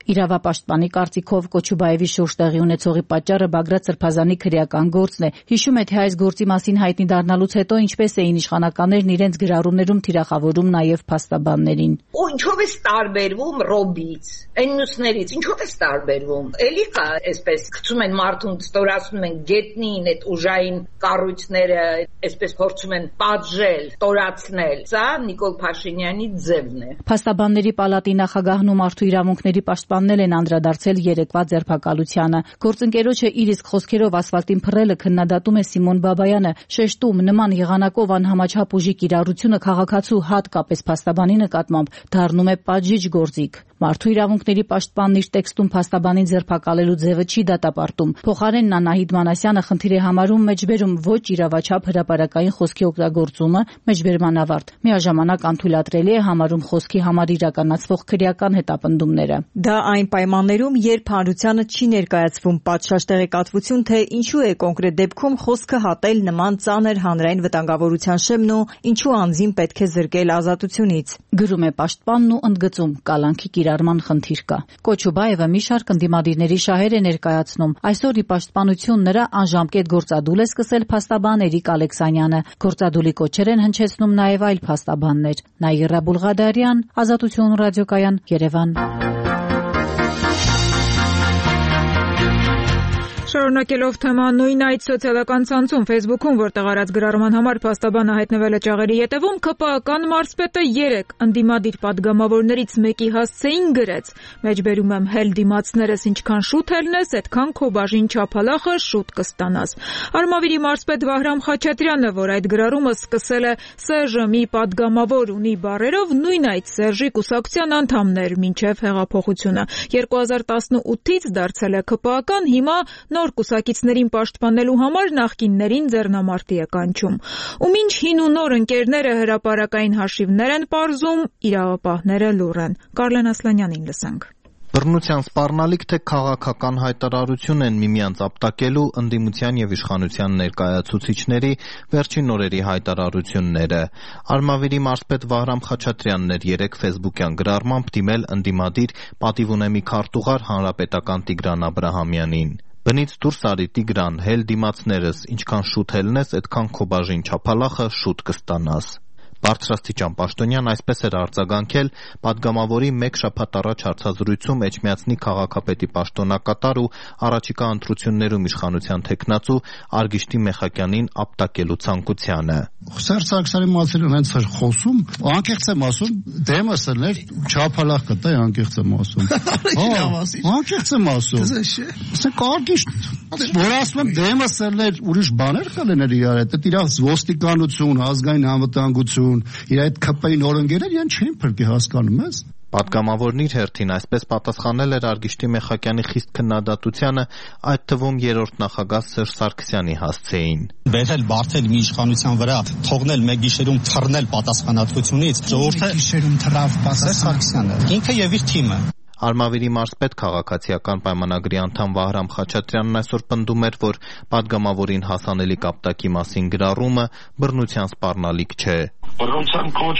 Իրավապաշտպանի կարծիքով Կոչուբաևի շուրջ տեղի ունեցողի պատճառը Բագրատ Սրբազանի քրեական գործն է։ Հիշում է, թե այս գործի մասին հայտնի դառնալուց հետո ինչպես էին իշխանականներն իրենց գրառումներում թիրախավորում նաև փաստաբաններին։ Ու ինչով է տարբերվում Ռոբից, այն մյուսներից, ինչով է տարբերվում։ Էլի կա, այսպես գցում են մարդուն, ստորացնում են գետնին այդ ուժային կառույցները, այսպես փորձում են պատժել, ստորացնել։ Սա Նիկոլ Փաշինյանի ձևն է։ Փաստաբանների պալատի նախագահն ու մարդու իրավունքների պաշտպաններ են անդրադարձել երեկվա ձերբակալությանը։ Գործընկերոջը իր իսկ խոսքերով ասֆալտին փռելը քննադատում է Սիմոն Բաբայանը, շեշտում նման եղանակով անհամաչափ ուժի կիրառությունը քաղաքացու հատկապես փաստաբանի նկատմամբ դառնում է պատժիչ գործիք։ Մարդու իրավունքների պաշտպանն իր տեքստում փաստաբանին ձերբակալելու ձևը չի դատապարտում։ Փոխարենն Անահիտ Մանասյանը խնդիր է համարում մեջբերում ոչ իրավաչափ հրապարակային խոսքի օգտագործումը, մեջբերման ավարտ։ Միաժամանակ անթույլատրելի է համարում խոսքի համար իրականացվող քրեական հետապնդումները։ Դա այն պայմաններում, երբ հանրությանը չի ներկայացվում պատշաճ տեղեկատվություն, թե ինչու է կոնկրետ դեպքում խոսքը հատել նման ծանր հանրային վտանգավորության շեմն ու ինչու անձին պետք է զրկել ազատությունից։ Գրում է պաշտպանն ու ընդգծում կալանքի կիրառման խնդիր կա։ Կոչուբաևը մի շարք ընդդիմադիրների շահեր է ներկայացնում։ Այսօր ի պաշտպանություն նրա անժամկետ գործադուլ է սկսել փաստաբան Էրիկ Ալեքսանյանը։ Գործադուլի կոչեր են հնչեցնում նաև այլ փաստաբաններ։ Նաիրա Բուլղադարյան, Ազատություն ռադիոկայան, Երևան։ Շարունակելով թեման նույն այդ սոցիալական ցանցում Facebook-ում, որտեղ արած գրառման համար փաստաբանը հայտնվել է ճաղերի ետևում, ԿՊԱ-կան մարզպետը երեք ընդդիմադիր падգամավորներից մեկի հասցեին գրեց. «Մեջբերում եմ հել դիմացներս ինչքան շուտ ելնես, այդքան քո բաժին չափալախը շուտ կստանաս»։ Արմավիրի մարզպետ Վահրամ Խաչատրյանը, որ այդ գրառումը սկսել է Սերժը մի падգամավոր ունի բառերով, նույն այդ Սերժի կուսակցության անդամն էր մինչև հեղափոխությունը։ երկու հազար տասնութից դարձել է ԿՊԱ-կան, հիմա նոր կուսակիցներին պաշտպանելու համար նախկիններին ձեռնամարտի է կանչում։ Ու մինչ հին ու նոր ընկերները հրապարակային հաշիվներ են պարզում, իրավապահները լուռ են։ Կարլեն Ասլանյանին լսենք։ Բռնության սպառնալիք թե քաղաքական հայտարարություն են միմյանց ապտակելու ընդդիմության եւ իշխանության ներկայացուցիչների վերջին օրերի հայտարարությունները։ Արմավիրի մարզպետ Վահրամ Խաչատրյանն էր երեք ֆեյսբուքյան գրառմամբ դիմել ընդդիմադիր պատիվ ունեմի քարտուղար հանրապետական Տիգրան Աբրահամյանին։ Բնից դուրս արի Տիգրան, հել դիմացներս, ինչքան շուտ հելնես, այդքան քո բաժին չափալախը շուտ կստանաս։ Բարձրաստիճան Պաշտոնյան այսպես էր արձագանքել պատգամավորի մեկ շաբաթ առաջ հարցազրույցում Էջմիածնի քաղաքապետի պաշտոնակատար ու առաջիկա ընտրություններում իշխանության թեկնածու Արգիշտի Մեխակյանին ապտակելու ցանկությանը։ Սերժ Սարգսյանի մասին հենց էր խոսում, անկեղծ եմ ասում, դեմս էր չափալախ կտա, անկեղծ եմ ասում։ Անկեղծ եմ ասում։ Ասենք Արգիշտ, որ ասում եմ դեմս էր ուրիշ բաներ կլիներ իրար հետ, դա իր ոստիկանություն, ազգային անվտանգություն իր այդ ՔՊ-ի նորընկերներ իրեն չեն փրկի, հասկանում ես։ Պատգամավորն իր հերթին այսպես պատասխանել էր Արգիշտի Մեխակյանի խիստ քննադատությանը, այդ թվում երրորդ նախագահ Սերժ Սարգսյանի հասցեին։ Բերել բարթել մի իշխանության վրա, թողնել մեկ գիշերում թռնել պատասխանատվությունից, ժողովուրդը գիշերում թռավ Սերժ Սարգսյանը, ինքը եւ իր թիմը։ Արմավիրի մարզպետ քաղաքացիական պայմանագրի անդամ Վահրամ Խաչատրյանն այսօր պնդում էր, որ պատգամավորին հասանելիք ապտակի մասին գրառումը բռնության սպառնալիք չէ։ Բռնության կոչ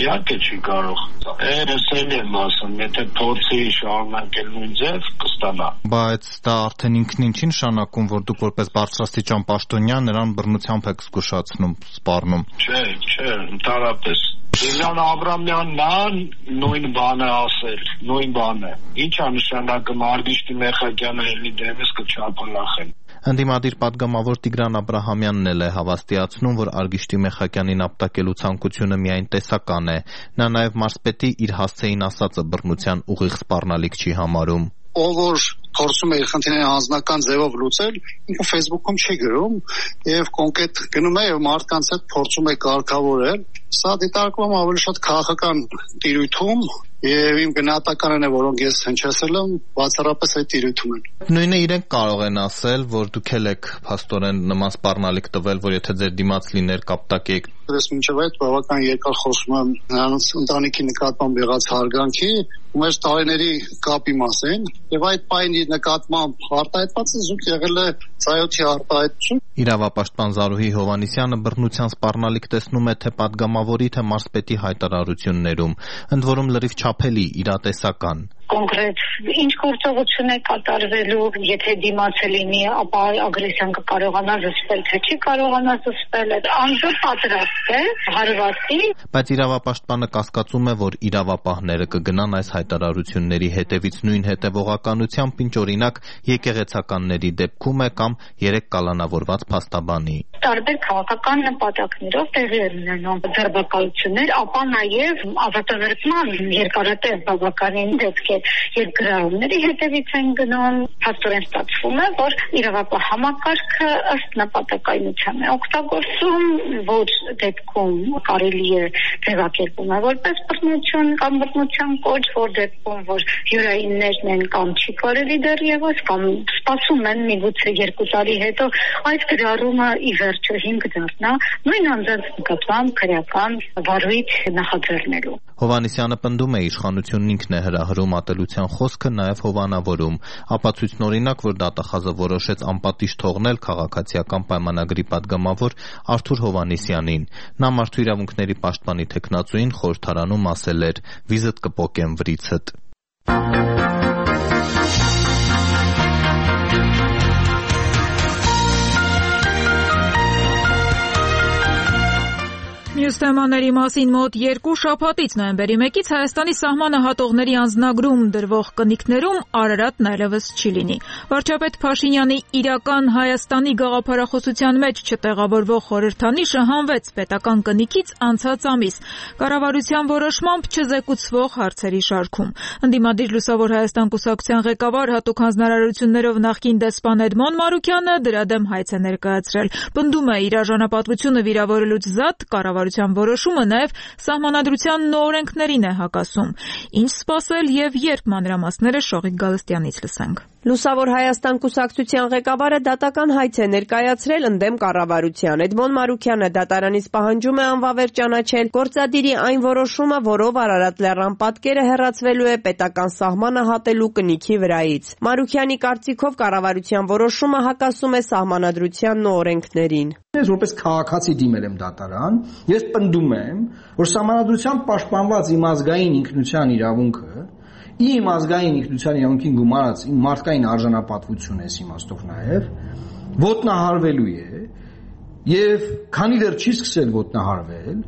իհարկե չի կարող։ Էս էլ եմ ասում, եթե փորձի շարունակել նույն ձև կստանա։ Բայց դա արդեն ինքն ինչին նշանակում, որ դուք որպես բարձրաստիճան պաշտոնյա նրան բռնությամբ եք զգուշացնում, սպառնում։ Չէ, չէ, ընդհանրապես Իլյան Աբրամյանն ան նույն բանը ասել, նույն բանը։ Ինչ է նշանակում Արգիշտի Մեխակյանը ելի դեմս կչափալախեն։ Ընդդիմադիր պատգամավոր Տիգրան Աբրահամյանն էլ է հավաստիացնում, որ Արգիշտի Մեխակյանին ապտակելու ցանկությունը միայն տեսական է։ Նա նաև մարզպետի իր հասցեին ասածը բռնության ուղիղ սպառնալիք չի համարում։ Ով որ փորձում է իր խնդիրները անձնական ձևով լուծել, ինքը Facebook-ում չի գրում եւ կոնկրետ գնում է եւ մարդկանց հետ փորձում է կարգավորել։ Սա դիտարկվում ավելի շատ քաղաքական տիրույթում եւ իմ գնահատականն է, որոնք ես հնչեցել եմ, բացառապես այդ տիրույթում են։ Նույնը իրենք կարող են ասել, որ դուք էլ եք փաստորեն նման սպառնալիք տվել, որ եթե ձեր դիմաց լիներ կապտակեիք։ Ես մինչև այդ բավական երկար խոսում եմ նրանց ընտանիքի նկատմամբ եղած հարգանքի ու մեր տարիների կապի մասին եւ այդ պայմանի նկատմամբ արտահայտվածը զուտ եղել է ծայոթի արտահայտություն։ Իրավապաշտպան Զարուհի Հովհաննիսյանը բռնության սպառնալիք տեսնում է թե պատգամավորի, թե մարզպետի հայտարարություններում, ընդ որում լրիվ չափելի, իրատեսական։ Կոնկրետ ինչ գործողություն է կատարվելու, եթե դիմացը լինի, ապա ագրեսիան կկարողանա զսպել, թե չի կարողանա զսպել, անձը պատրաստ է հարվածի։ Բայց իրավապաշտպանը կասկածում է, որ իրավապահները կգնան այս հայտարարությունների հետևից նույն հետևողականությամբ, ինչ օրինակ եկեղեցականների դեպքում է կամ երեք կալանավորված փաստաբանի։ Տարբեր քաղաքական նպատակներով տեղի են ունենում ձերբակալություններ, ապա նաև ազատագրման երկարատև բավականին դեպքեր եւ գրառումների հետևից են գնում, փաստորեն ստացվում է, որ իրավապահ համակարգը ըստ նպատակայնության է օգտագործում, ոչ դեպքում կարելի է ձևակերպում է որպես բռնություն կամ բռնության կոչ, որ դեպքում որ յուրայիններն են կամ չի կարելի դեռևս կամ սպասում են միգուցե երկու տարի հետո այս գրառումը ի վերջո հիմք դառնա նույն անձանց նկատմամբ քրեական վարույթ նախաձեռնելու։ Հովհաննիսյանը պնդում է իշխանությունն ինքն է հրահրում ատելության խոսքը նաև հովանավորում, ապացույցն օրինակ, որ դատախազը որոշեց անպատիժ թողնել քաղաքացիական պայմանագրի պատգամավոր Արթուր Հովհաննիսյանին։ Նա մարդու իրավունքների պաշտպանի թեկնածուին խորհրդարանում ասել էր. «Վիզդ կպոկեմ վրիցդ»։ Մյուս թեմաների մասին մոտ երկու շաբաթից նոյեմբերի մեկից Հայաստանի սահմանը հատողների անձնագրում դրվող կնիքներում Արարատն այլևս չի լինի։ Վարչապետ Փաշինյանի իրական Հայաստանի գաղափարախոսության մեջ չտեղավորվող խորհրդանիշը հանվեց պետական կնիքից անցած ամիս կառավարության որոշմամբ չզեկուցվող հարցերի շարքում։ Ընդդիմադիր Լուսավոր Հայաստան կուսակցության ղեկավար հատուկ հանձնարարություններով նախկին դեսպան Էդմոն Մարուկյանը դրա դեմ հայց է ներկայացրել։ Պնդում է իր արժանապատվությունը վիրավորելուց զատ կառավարության որոշումը նաև սահմանադրության նորենքներին է հակասում։ Ինչ սպասել եւ երբ մանրամասները Շողիկ Գալստյանից լսենք։ Լուսավոր Հայաստան կուսակցության ղեկավարը դատական հայց է ներկայացրել ընդդեմ կառավարության։ Էդմոն Մարուկյանը դատարանից պահանջում է անվավեր ճանաչել գործադիրի այն որոշումը, որով Արարատ լեռան պատկերը հեռացվելու է պետական սահմանը հատելու կնիքի վրայից։ Մարուկյանի կարծիքով կառավարության որոշումը հակասում է սահմանադրության օրենքներին։ Ես որպես քաղաքացի դիմել եմ դատարան, ես պնդում եմ, որ սահմանադրությամբ պաշտպանված իմ ազգային ինքնության իրավունքը իմ ազգային ինքնության իրավունքին գումարած իմ մարդկային արժանապատվությունը էս իմաստով նաև ոտնահարվելու է եւ քանի դեռ չի սկսել ոտնահարվել,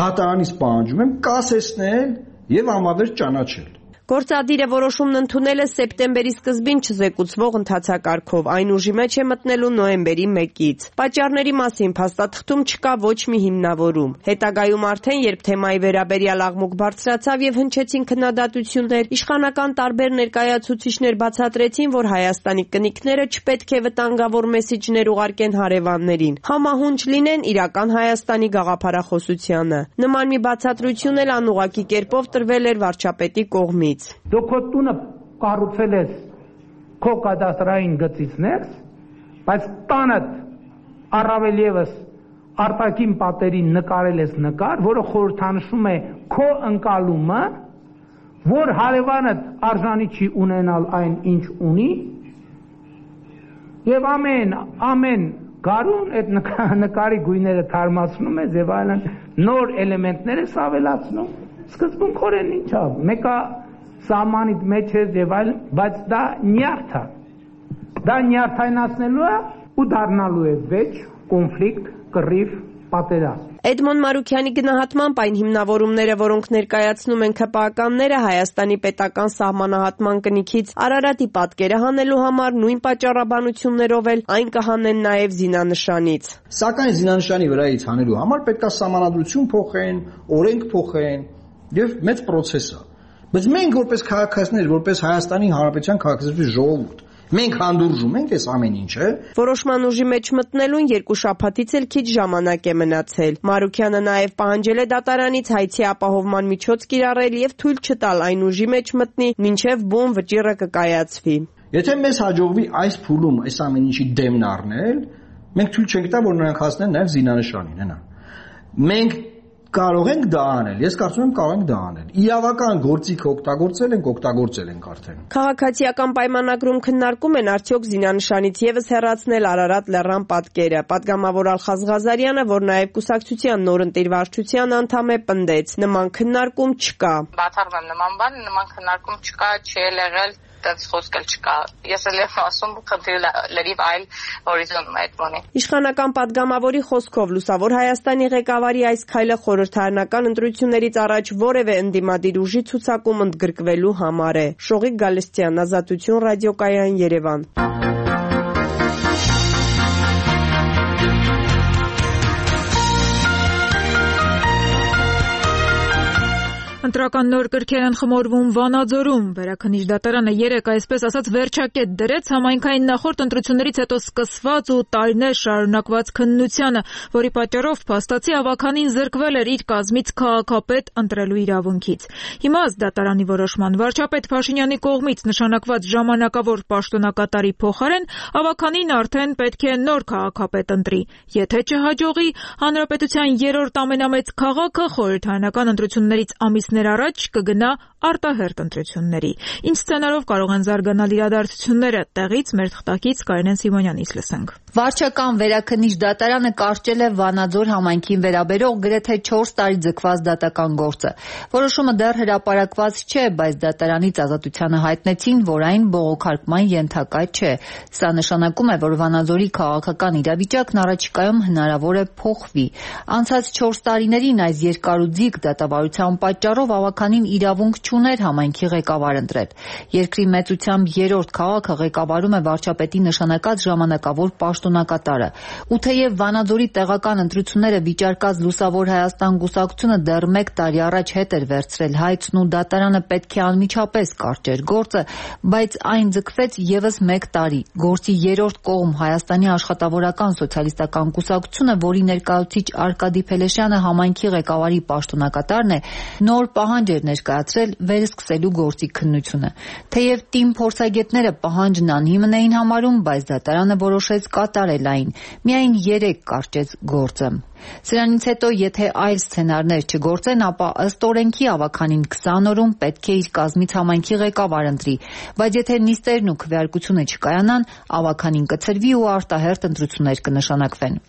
դատարանից պահանջում եմ կասեցնել եւ համավերջ ճանաչել։ Գործադիրը որոշումն ընդունել է սեպտեմբերի սկզբին չզեկուցվող ընթացակարգով, այն ուժի մեջ է մտնելու նոյեմբերի մեկից։ Պատճառների մասին փաստաթղթում չկա ոչ մի հիմնավորում։ Հետագայում արդեն, երբ թեմայի վերաբերյալ աղմուկ բարձրացավ եւ հնչեցին քննադատություններ, իշխանական տարբեր ներկայացուցիչներ բացատրեցին, որ Հայաստանի կնիկները չպետք է վտանգավոր մեսիջներ ուղարկեն հարևաններին, համահունչ լինեն իրական Հայաստանի գաղափարախոսությանը։ Նման մի բացատրություն էլ անուղղակի կերպով տրվել էր վարչապետի կողմից։ Դու քո տունը կառուցել ես քո կադաստրային գծից ներս, բայց տանդ առավել եւս արտաքին պատերին նկարել ես նկար, որը խորհրդանշում է քո ընկալումը, որ հարևանդ արժանի չի ունենալ այն, ինչ ունի, եւ ամեն ամեն գարուն այդ նկարի գույները թարմացնում ես եւ այլն նոր էլեմենտներ ես ավելացնում։ Սկզբունքորեն ինչա, մեկը սահմանիդ մեջ է եւ այլ, բայց դա նյարդ է։ Դա նյարդայնացնելու է ու դառնալու է վեճ, կոնֆլիկտ, կռիվ, պատերազմ։ Էդմոն Մարուքյանի գնահատմամբ այն հիմնավորումները, որոնք ներկայացնում են ՔՊԱ-կանները Հայաստանի պետական սահմանահատման կնիքից Արարատի պատկերը հանելու համար նույն պատճառաբանություններով էլ այն կհանեն նաև զինանշանից։ Սակայն զինանշանի վրայից հանելու համար պետք է սահմանադրություն փոխեն, օրենք փոխեն եւ մեծ process է։ Բայց մենք որպես քաղաքացիներ, որպես Հայաստանի Հանրապետության քաղաքացիների ժողովուրդ, մենք հանդուրժում ենք այս ամեն ինչը։ Որոշման ուժի մեջ մտնելուն երկու շաբաթից էլ քիչ ժամանակ է մնացել։ Մարուքյանը նաև պահանջել է դատարանից հայցի ապահովման միջոց կիրառել եւ թույլ չտալ այն ուժի մեջ մտնի, մինչեւ բուն վճիռը կկայացվի։ Եթե մեզ հաջողվի այս փուլում այս ամեն ինչի դեմն առնել, մենք թույլ չենք տա, որ նրանք հասնեն նաև զինանշանին, հենա։ Մենք կարող ենք դա անել, ես կարծում եմ կարող ենք դա անել։ Իրավական գործիք օգտագործել ենք, օգտագործել ենք արդեն։ Քաղաքացիական պայմանագրում քննարկում են արդյոք զինանշանից եւս հեռացնել Արարատ լեռան պատկերը։ Պատգամավոր Ալխազ Ղազարյանը, որ նաեւ կուսակցության նորընտիր վարչության անդամ է, պնդեց. նման քննարկում չկա։ Բացառում եմ նման բան, նման քննարկում չկա, չի եղել, դες խոսք էլ չկա։ Ես էլ եմ ասում, խնդիրը լրիվ այլ հորիզոնում է այդ բանի։ Իշխանական պատգամավորի խոսքով Լուսավոր Հայաստանի ղեկավարի այս քայլը խորհրդարանական ընտրություններից առաջ որևէ ընդդիմադիր ուժի ցուցակում ընդգրկվելու համար է։ Շողիկ Գալստյան, Ազատություն ռադիոկայան, Երևան։ Ընտրական նոր կրքեր են խմորվում Վանաձորում։ Վերաքննիչ դատարանը երեկ այսպես ասած վերջակետ դրեց համայնքային նախորդ ընտրություններից հետո սկսված ու տարիներ շարունակված քննությանը, որի պատճառով փաստացի ավականին զրկվել էր իր կազմից քաղաքապետ ընտրելու իրավունքից։ Հիմա ըստ դատարանի որոշման վարչապետ Փաշինյանի կողմից նշանակված ժամանակավոր պաշտոնակատարի փոխարեն ավականին արդեն պետք է նոր քաղաքապետ ընտրի։ Եթե չհաջողի, հանրապետության երրորդ ամենամեծ քաղաքը խորհրդարանական ընտրություններից ամիս առաջ կգնա արտահերթ ընտրությունների։ Ինչ սցենարով կարող են զարգանալ իրադարձությունները, տեղից մեր թղթակից Կարինեն Սիմոնյանից լսենք։ Վարչական վերաքննիչ դատարանը կարճել է Վանաձոր համայնքին վերաբերող գրեթե չորս տարի ձգված դատական գործը։ Որոշումը դեռ հրապարակված չէ, բայց դատարանից Ազատությանը հայտնեցին, որ այն բողոքարկման ենթակա չէ։ Սա նշանակում է, որ Վանաձորի քաղաքական իրավիճակն առաջիկայում հնարավոր է փոխվի։ Անցած չորս տարիներին այս երկարուձիգ դատավարության պատճառով ավականին իրավունք չուներ համայնքի ղեկավար ընտրել։ Երկրի մեծությամբ երրորդ քաղաքը ղեկավարում է վարչապետի նշանակած ժամանակավոր պաշտոնակատարը։ Ու թեև Վանաձորի տեղական ընտրությունները վիճարկած Լուսավոր Հայաստան կուսակցությունը դեռ մեկ տարի առաջ հետ էր վերցրել հայցն ու դատարանը պետք է անմիջապես կարճեր գործը, բայց այն ձգվեց եւս մեկ տարի։ Գործի երրորդ կողմ Հայաստանի աշխատավորական սոցիալիստական կուսակցությունը, որի ներկայացուցիչ Արկադի Փելեշյանը համայնքի ղեկավարի պաշտոնակատարն է, նոր պահանջ էր ներկայացրել վերսկսելու գործի քննությունը։ Թեև թիմ փորձագետները պահանջն անհիմն էին համարում, բայց դատարանը որոշեց կատարել այն։ Միայն երեք կարճեց գործը։ Սրանից հետո, եթե այլ սցենարներ չգործեն, ապա ըստ օրենքի ավականին քսան օրում պետք է իր կազմից համայնքի ղեկավար ընտրի, բայց եթե նիստերն ու քվեարկությունը չկայանան, ավականին կցրվի ու արտահերթ ընտրություններ կնշանակվեն։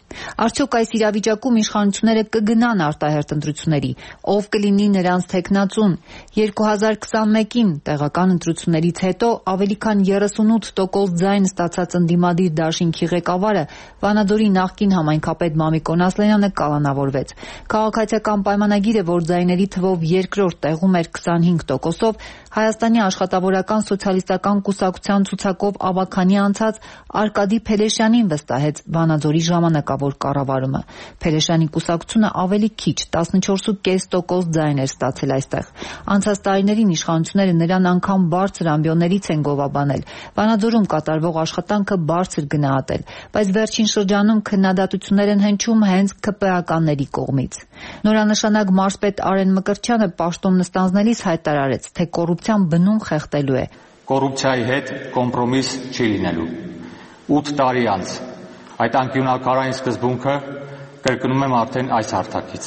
Արդյոք այս իրավիճակում իշխանությունները կգնան արտահերթ ընտրությունների, ով կլինի նրանց թեկնածուն։ երկու հազար քսանմեկին տեղական ընտրություններից հետո ավելի քան երեսունութ տոկոս ձայն ստացած ընդդիմադիր դաշինքի ղեկավարը Վանաձորի նախկին համայնքապետ Մամիկոն Ասլանյանը կալանավորվեց։ Քաղաքացիական պայմանագիրը, որ ձայների թվով երկրորդ տեղում էր քսանհինգ տոկոսով, Հայաստանի աշխատավորական սոցիալիստական կուսակցության ցուցակով ավաքանի անցած Արկադի Փելեշյանին վստահեց Վանաձորի ժամանակավոր կառավարումը։ Փելեշյանի կուսակցությունը ավելի քիչ տասնչորս կόμμα պենս տոկոս ձայն էր ստացել այստեղ։ Անցած տարիներին իշխանությունները նրան անգամ բարձր ամբիոններից են գովաբանել։ Վանաձորում կատարվող աշխատանքը բարձր գնահատել, բայց վերջին շրջանում քննադատություններ են հնչում հենց ՔՊԱ-կանների կողմից։ Նորանշանակ մարզպետ Արեն Մկրտչյանը պաշտոն նստանձնելիս հայտարարեց, թե կոռուպցիան բնում խեղդելու է։ Կոռուպցիայի հետ կոմպրոմիս չի լինելու։ ութ տարի անց այդ անկյունաքարային սկզբունքը կրկնում եմ արդեն այս հարթակից։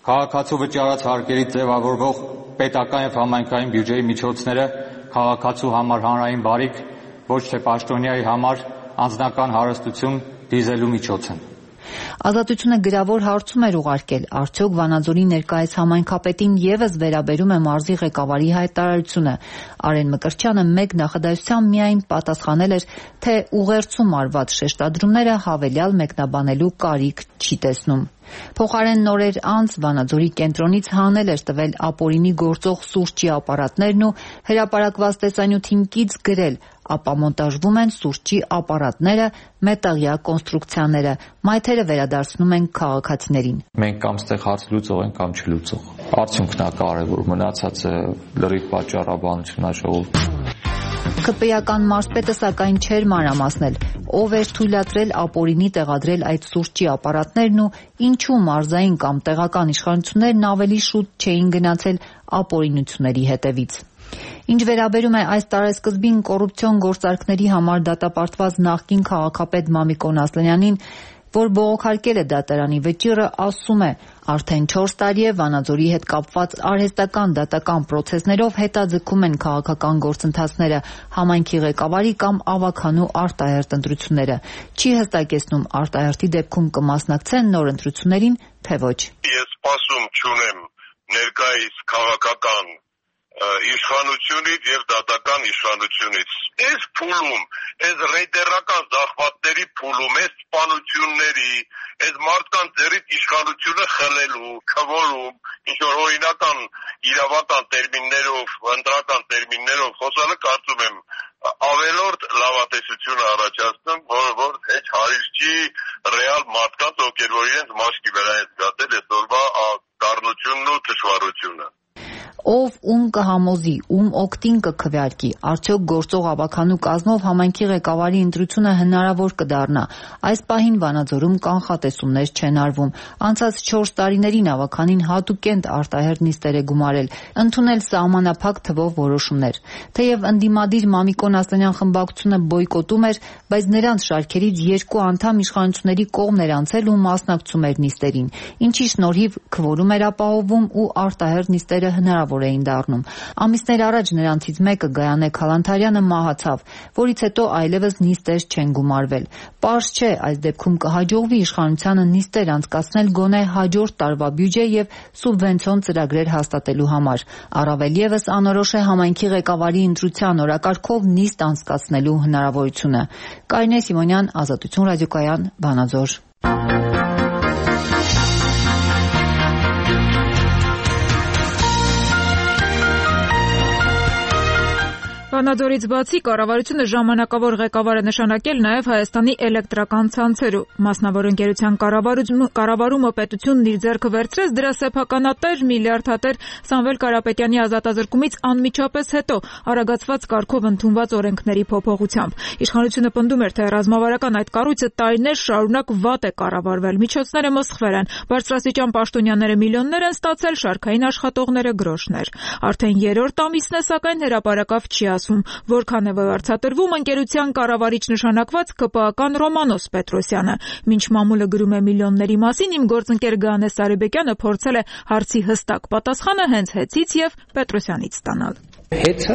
Քաղաքացու վճարած հարկերից ձևավորվող պետական եւ համայնքային բյուջեի միջոցները քաղաքացու համար հանրային բարիք, ոչ թե պաշտոնյայի համար անձնական հարստություն դիզելու միջոց են։ Ազատությունը գրավոր հարցում էր ուղարկել, արդյոք Վանաձորի ներկայիս համայնքապետին ևս վերաբերում է մարզի ղեկավարի հայտարարությունը։ Արեն Մկրտչյանը մեկ նախադասությամբ միայն պատասխանել էր, թե ուղերձում արված շեշտադրումները հավելյալ մեկնաբանելու կարիք չի տեսնում։ Փոխարեն նորեր անց Վանաձորի կենտրոնից հանել էր տվել ապօրինի գործող սուրճի ապարատներն ու հրապարակված տեսանյութին կից գրել, ապա մոնտաժվում են սուրճի ապարատները, մետաղյա կոնստրուկցիաները, մայթերը վերադարձնում են քաղաքացիներին։ Մենք կամ ստեղ հարց լուծող ենք, կամ չլուծող։ Արդյունքն է կարևոր, մնացածը լրիվ պատճառաբանություն է ժողովուրդ։ ՔՊԱ-ական մարզպետը սակայն չէր մանրամասնել, ով էր թույլատրել ապօրինի տեղադրել այդ սուրճի ապարատներն ու ինչու մարզային կամ տեղական իշխանություններն ավելի շուտ չէին գնացել ապօրինությունների հետևից։ Ինչ վերաբերում է այս տարեսկզբին կոռուպցիոն գործարքների համար դատապարտված նախկին քաղաքապետ Մամիկոն Ասլանյանին, որ բողոքարկել է դատարանի վճիռը, ասում է, արդեն չորս տարի է Վանաձորի հետ կապված արհեստական դատական պրոցեսներով հետաձգում են քաղաքական գործընթացները, համայնքի ղեկավարի կամ ավականու արտահերթ ընտրությունները։ Չի հստակեցնում արտահերթի դեպքում կմասնակցեն նոր ընտրություններին, թե ոչ։ Ես սպասում չունեմ ներկայիս քաղաքական իշխանությունից եւ դատական իշխանությունից։ Այս փուլում, այս ռեյտերական զախվածների փուլում, այս սպանությունների, այս մարդկանց ձեռից իշխանությունը խլելու, քվորում, ինչ որ օրինական իրավական տերմիններով, ընտրական տերմիններով խոսալը կարծում եմ ավելորդ լավատեսություն առաջացնում, որը որ հեչ հարիր չի ռեալ մարդկանց, ովքեր որ իրենց մաշկի վրա են զգացել այսօրվա դառնությունն ու թշվառությունը։ Ով ում կհամոզի, ում օգտին կքվեարկի, արդյոք գործող ավականու կազմով համայնքի ղեկավարի ընտրությունը հնարավոր կդառնա։ Այս պահին Վանաձորում կանխատեսումներ չեն արվում։ Անցած չորս տարիներին ավականին հատուկենտ արտահերթ նիստեր է գումարել, ընդունել սահմանափակ թվով որոշումներ։ Թեև ընդդիմադիր Մամիկոն Ասլանյան խմբակցությունը բոյկոտում էր, բայց նրանց շարքերից երկու անդամ իշխանությունների կողմն էր անցել ու մասնակցում էր նիստերին, ինչի շնորհիվ քվորում էր ապահովում ու արտահերթ նիստերը հնարավոր էին դառնում։ Ամիսներ առաջ նրանցից մեկը Գայանե Քալանթարյանը մահացավ, որից հետո այլևս նիստեր չեն գումարվել։ Պարզ չէ, այս դեպքում կհաջողվի իշխանությանը նիստեր անցկացնել գոնե հաջորդ տարվա բյուջե եւ սուբվենցիոն ծրագրեր հաստատելու համար։ Առավել եւս անորոշ է համայնքի ղեկավարի ընտրության օրակարգով նիստ անցկացնելու հնարավորությունը։ Կարինե Սիմոնյան, Ազատություն ռադիոկայան, Վանաձոր։ Վանաձորից բացի կառավարությունը ժամանակավոր ղեկավար է նշանակել նաև Հայաստանի էլեկտրական ցանցերում։ Մասնավոր ընկերության կառավարումը պետությունն իր ձեռքը վերցրեց դրա սեփականատեր միլիարդատեր Սամվել Կարապետյանի ազատազրկումից անմիջապես հետո արագացված կարգով ընդունված օրենքների փոփոխությամբ։ Իշխանությունը պնդում էր, թե ռազմավարական այդ կառույցը տարիներ շարունակ վատ է կառավարվել, միջոցները մսխվել են, բարձրաստիճան պաշտոնյաները միլիոններ են ստացել, շարքային աշխատողները գրոշներ։ Արդեն երրորդ ամիսն է, սակայն հրապարակավ չի ասում, որքան է վարձատրվում ընկերության կառավարիչ նշանակված ԿՊԱ-ական Ռոմանոս Պետրոսյանը։ Մինչ մամուլը գրում է միլիոնների մասին, իմ գործընկեր Գայանե Սարիբեկյանը փորձել է հարցի հստակ պատասխանը հենց Հեցից եւ Պետրոսյանից ստանալ։ Հեցը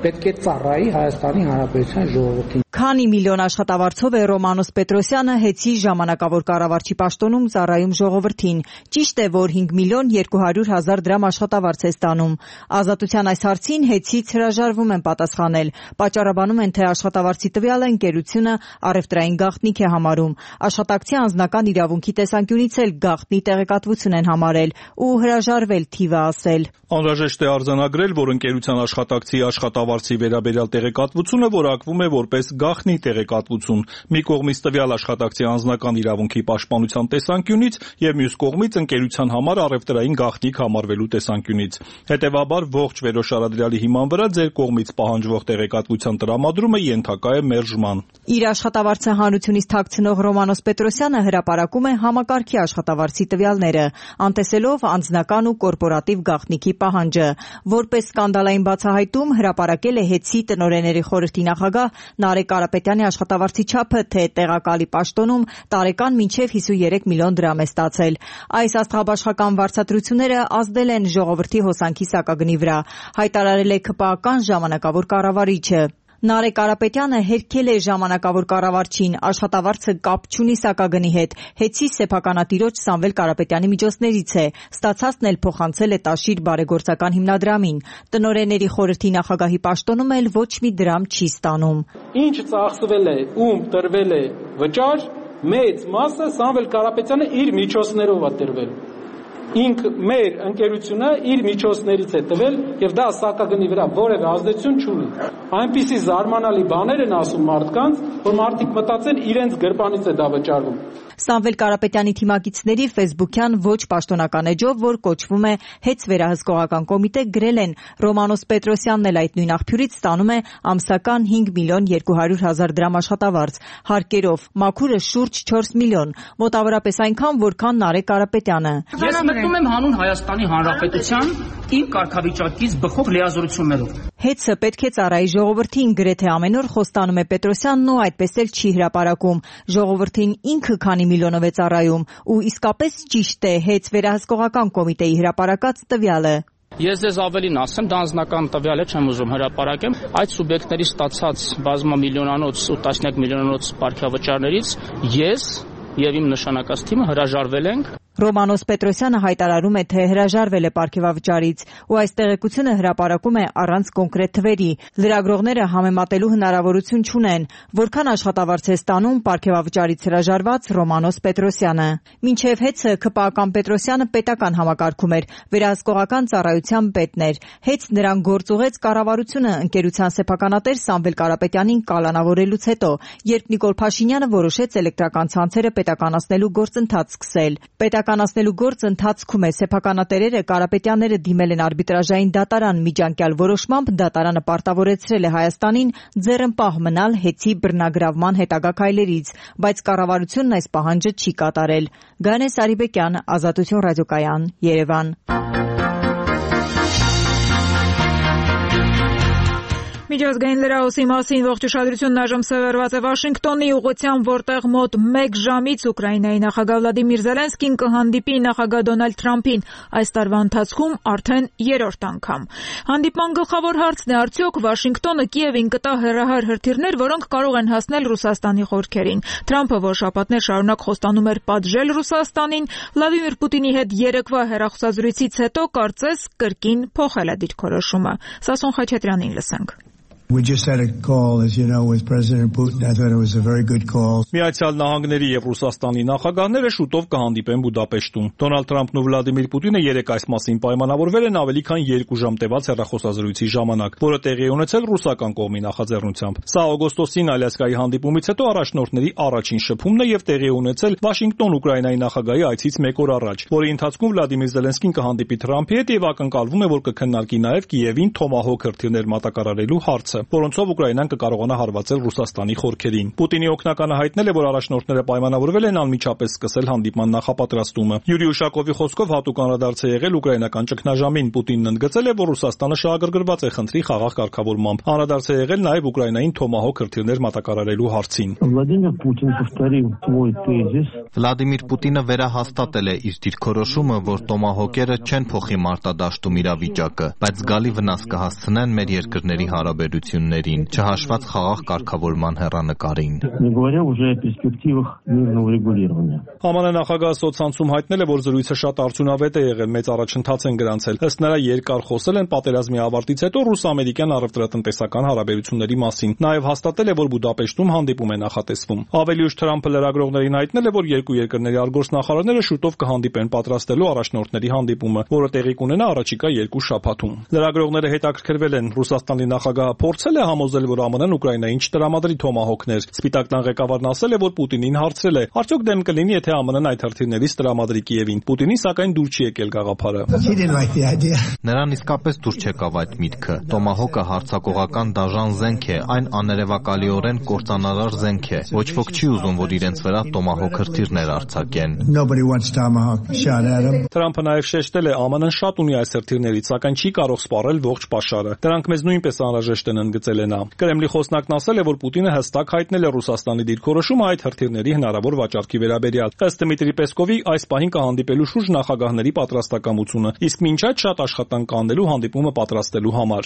պետք է ծառայի Հայաստանի Հանրապետության ժողովրդին։ Քանի միլիոն աշխատավարձով է Ռոմանոս Պետրոսյանը Հեցի ժամանակավոր կառավարչի պաշտոնում ծառայում ժողովրդին։ Ճիշտ է, որ հինգ միլիոն երկու հարյուր հազար դրամ աշխատավարձ է ստանում։ Ազատության այս հարցին Հեցից հրաժարվում են պատասխանել։ Պատճառաբանում են, թե աշխատավարձի տվյալը ընկերությունը առևտրային գաղտնիք է համարում։ Աշխատակցի անձնական իրավունքի տեսանկյունից էլ գաղտնի տեղեկատվություն են համարել ու հրաժարվել թիվը ասել։ Անհրաժեշտ է արձանագրել, որ ընկերության աշխատակցի աշխատավարձի վերաբերյալ տեղեկատվությունը որակվում է որպես գաղտնի տեղեկատվություն։ Մի կողմից տվյալ աշխատակցի անձնական իրավունքի պաշտպանության տեսանկյունից եւ մյուս կողմից ընկերության համար առևտրային գաղտնիք համարվելու տեսանկյունից։ Հետևաբար ողջ վերոշարադրյալի հիման վրա ձեր կողմից պահանջվող տեղեկատվության տրամադրումը ենթակա է մերժման։ Իր աշխատավարձը հանրությունից թաքցնող Ռոմանոս Պետրոսյանը հրապարակում է համակարգի աշխատավարձի տվյալները, անտեսելով անձնական ու կորպորատիվ գաղտնիքի պահանջը։ Որպես սկանդալային բացահայտում հրապարակել է Հեցի տնօրենների խորհրդի նախագահ Նարեկ Կարապետյանի աշխատավարձի չափը, թե տեղակալի պաշտոնում տարեկան մինչև հիսունյոթ միլիոն դրամ է ստացել։ Այս աստղաբաշխական վարձատրությունները ազդել են ժողովրդի հոսանքի սակագնի վրա, հայտարարել է ԿՊԱ-ական ժամանակավոր կառավարիչը։ Նարեկ Կարապետյանը հերքել է ժամանակավոր կառավարչին, աշխատավարձը կապ չունի սակագնի հետ, Հեցի սեփականատիրոջ Սամվել Կարապետյանի միջոցներից է, ստացածն էլ փոխանցել է Տաշիր բարեգործական հիմնադրամին։ Տնօրենների խորհրդի նախագահի պաշտոնում էլ ոչ մի դրամ չի ստանում։ Ինչ ծախսվել է, ում տրվել է վճար, մեծ մասը Սամվել Կարապետյանը իր միջոցներով է տրվել։ Ինք մեր ընկերությունը իր միջոցներից է տվել եւ դա սակագնի վրա որևէ ազդեցություն չունի։ Այնպիսի զարմանալի բաներ են ասում մարդկանց, որ մարդիկ մտածեն իրենց գրպանից է դա վճարվում։ Սամվել Կարապետյանի թիմակիցների ֆեյսբուքյան ոչ պաշտոնական էջով, որ կոչվում է Հեց վերահսկողական կոմիտե, գրել են Ռոմանոս Պետրոսյանն էլ այդ նույն աղբյուրից ստանում է ամսական հինգ միլիոն երկու հարյուր հազար դրամ աշխատավարձ, հարկերով մաքուրը շուրջ չորս միլիոն, մոտավորապես այնքան, որքան Նարեկ Կարապետյանը։ Ես մտնում եմ հանուն Հայաստանի Հանրապետության իմ կարգավիճակից բխող լիազորություններով։ Հեցը պետք է ծառայի ժողովրդին, գրեթե ամեն օր խոստանում է Պետրոսյանն ու այդպես էլ չի հրապարակում։ Ժողովրդին ինքը քանի միլիոնով է ծառայում ու իսկապես ճիշտ է Հեց վերահսկողական կոմիտեի հրապարակած տվյալը։ Ես ձեզ ավելին ասեմ, դա անձնական տվյալ է, չեմ ուզում հրապարակեմ։ Այդ սուբյեկտների ստացած բազմամիլիոնանոց ու տասնյակ միլիոնանոց պարգևաճարներից ես եւ իմ նշանակած թիմը հրաժարվել ենք։ Ռոմանոս Պետրոսյանը հայտարարում է, թե հրաժարվել է պարգևավճարից ու այս տեղեկությունը հրապարակում է առանց կոնկրետ թվերի։ Լրագրողները համեմատելու հնարավորություն չունեն, որքան աշխատավարձ է ստանում պարգևավճարից հրաժարված Ռոմանոս Պետրոսյանը։ Մինչև Հեցը ԿՊԱ-ական Պետրոսյանը պետական համակարգում էր, վերահսկողական ծառայության պետն էր։ Հեց նրան գործուղեց կառավարությունը ընկերության սեփականատեր Սամվել Կարապետյանին կալանավորելուց հետո, երբ Նիկոլ Փաշինյանը որոշեց էլեկտրական ցանցերը պետականացնելու գործընթաց սկսել։ Պետականացնելու գործ ընթացքում է, սեփականատերերը Կարապետյանները դիմել են արբիտրաժային դատարան, միջանկյալ որոշմամբ դատարանը պարտավորեցրել է Հայաստանին ձեռնպահ մնալ Հեցի բռնագրավման հետագա քայլերից, բայց կառավարությունն այս պահանջը չի կատարել։ Գայանե Սարիբեկյան, Ազատություն ռադիոկայան, Երևան։ Միջազգային լրահոսի մասին ողջ ուշադրությունն այժմ սևեռված է Վաշինգտոնի ուղղությամբ, որտեղ մոտ մեկ ժամից Ուկրաինայի նախագահ Վլադիմիր Զելենսկին կհանդիպի նախագահ Դոնալդ Թրամփին այս տարվա ընթացքում արդեն երրորդ անգամ։ Հանդիպման գլխավոր հարցն է, արդյոք Վաշինգտոնը Կիևին կտա հեռահար հրթիռներ, որոնք կարող են հասնել Ռուսաստանի խորքերին։ Թրամփը, որ շաբաթներ շարունակ խոստանում էր պատժել Ռուսաստանին, Վլադիմիր Պուտինի հետ երեկվա հեռախոսազրույցից հետո կարծես կրկին փոխել է դիրքորոշումը։ Սասուն Խաչատրյանին լսենք։ We just had a call, as you know, with President Putin. I thought it was a very good call. Միացյալ Նահանգների եւ Ռուսաստանի նախագահները շուտով կհանդիպեն Բուդապեշտում։ Դոնալդ Թրամփն ու Վլադիմիր Պուտինը երեկ այս մասին պայմանավորվել են ավելի քան երկու ժամ տևած հեռախոսազրույցի ժամանակ, որը տեղի է ունեցել ռուսական կողմի նախաձեռնությամբ։ Սա օգոստոսին Ալյասկայի հանդիպումից հետո առաջնորդների առաջին շփումն է եւ տեղի է ունեցել Վաշինգտոն Ուկրաինայի նախագահի այցից մեկ օր առաջ, որի ընթացքում Վլադիմիր Զելենսկին կհանդիպի Թրամփի հետ եւ ակնկալվում է, որ կքննարկի նաեւ Կիևին Թոմահոք հրթիռներ մատակարարելու հարցը։ որոնցով Ուկրաինան կկարողանա հարվածել Ռուսաստանի խորքերին։ Պուտինի օգնականը հայտնել է, որ առաջնորդները պայմանավորվել են անմիջապես սկսել հանդիպման նախապատրաստումը։ Յուրի Ուշակովի խոսքով հատուկ անդրադարձ է եղել ուկրաինական ճգնաժամին։ Պուտինն ընդգծել է, որ Ռուսաստանը շահագրգռված է խնդրի խաղաղ կարգավորմամբ։ Անդրադարձ է եղել նաև Ուկրաինային Թոմահոք հրթիռներ մատակարարելու հարցին։ Վլադիմիր Պուտինը վերահաստատել է իր դիրքորոշումը, որ Տոմահոկերը չեն փոխի մարտադաշտում իրավիճակը, բայց զգալի վնաս կհասցնեն մեր երկրների հարաբերություններին, չհաշված խաղաղ կարգավորման հեռանկարին։ ԱՄՆ նախագահ Սոցցանցում հայտնել է, որ զրույցը շատ արդյունավետ է եղել, մեծ առաջընթաց են գրանցել։ Ըստ նրա երկար խոսել են պատերազմի ավարտից հետո ռուս-ամերիկյան առևտրատնտեսական հարաբերությունների մասին։ Նաև հաստատել է, որ Բուդապեշտում հանդիպում է նախատեսվում։ Ավելի ուշ Թրամփը լրագրողներին հայտնել է, որ երկու երկրների արտգործնախարարները շուտով կհանդիպեն պատրաստելու առաջնորդների հանդիպումը, որը տեղի կունենա առաջիկա երկու շաբաթում։ Լրագրողները հետաքրքրվել են Ռուսաստանի նախագահը փորձել է համոզել, որ ԱՄՆ-ն Ուկրաինային չտրամադրի Թոմահոկներ։ Սպիտակ տան ղեկավարն ասել է, որ Պուտինին հարցրել է. արդյոք դեմ կլինի, եթե ԱՄՆ-ն այդ հրթիռներից տրամադրի Կիևին։ Պուտինին սակայն դուր չի եկել գաղափարը։ Նրան իսկապես դուր չեկավ այդ միտքը։ Տոմահոկը հարձակողական դաժան զենք է, այն աներևակալիորեն կործանարար զենք է։ Ոչ ոք չի ուզում, որ իրենց վրա Տոմահոկ հրթիռներ արձակեն։ Թրամփը նաև շեշտել է, ԱՄՆ-ն շատ ունի այս հրթիռներից, սակայն չի կարող սպառել ողջ պաշարը։ Դրանք մեզ նույնպես անհրաժեշտ են, ընդգծել է նա։ Կրեմլի խոսնակն ասել է, որ Պուտինը հստակ հայտնել է Ռուսաստանի դիրքորոշումը այդ հրթիռների հնարավոր վաճառքի վերաբերյալ։ Ըստ Դմիտրի Պեսկովի, այս պահին կհանդիպելու շուրջ նախագահների պատրաստակամությունը, իսկ մինչ այդ շատ աշխատանք կանելու հանդիպումը պատրաստելու համար։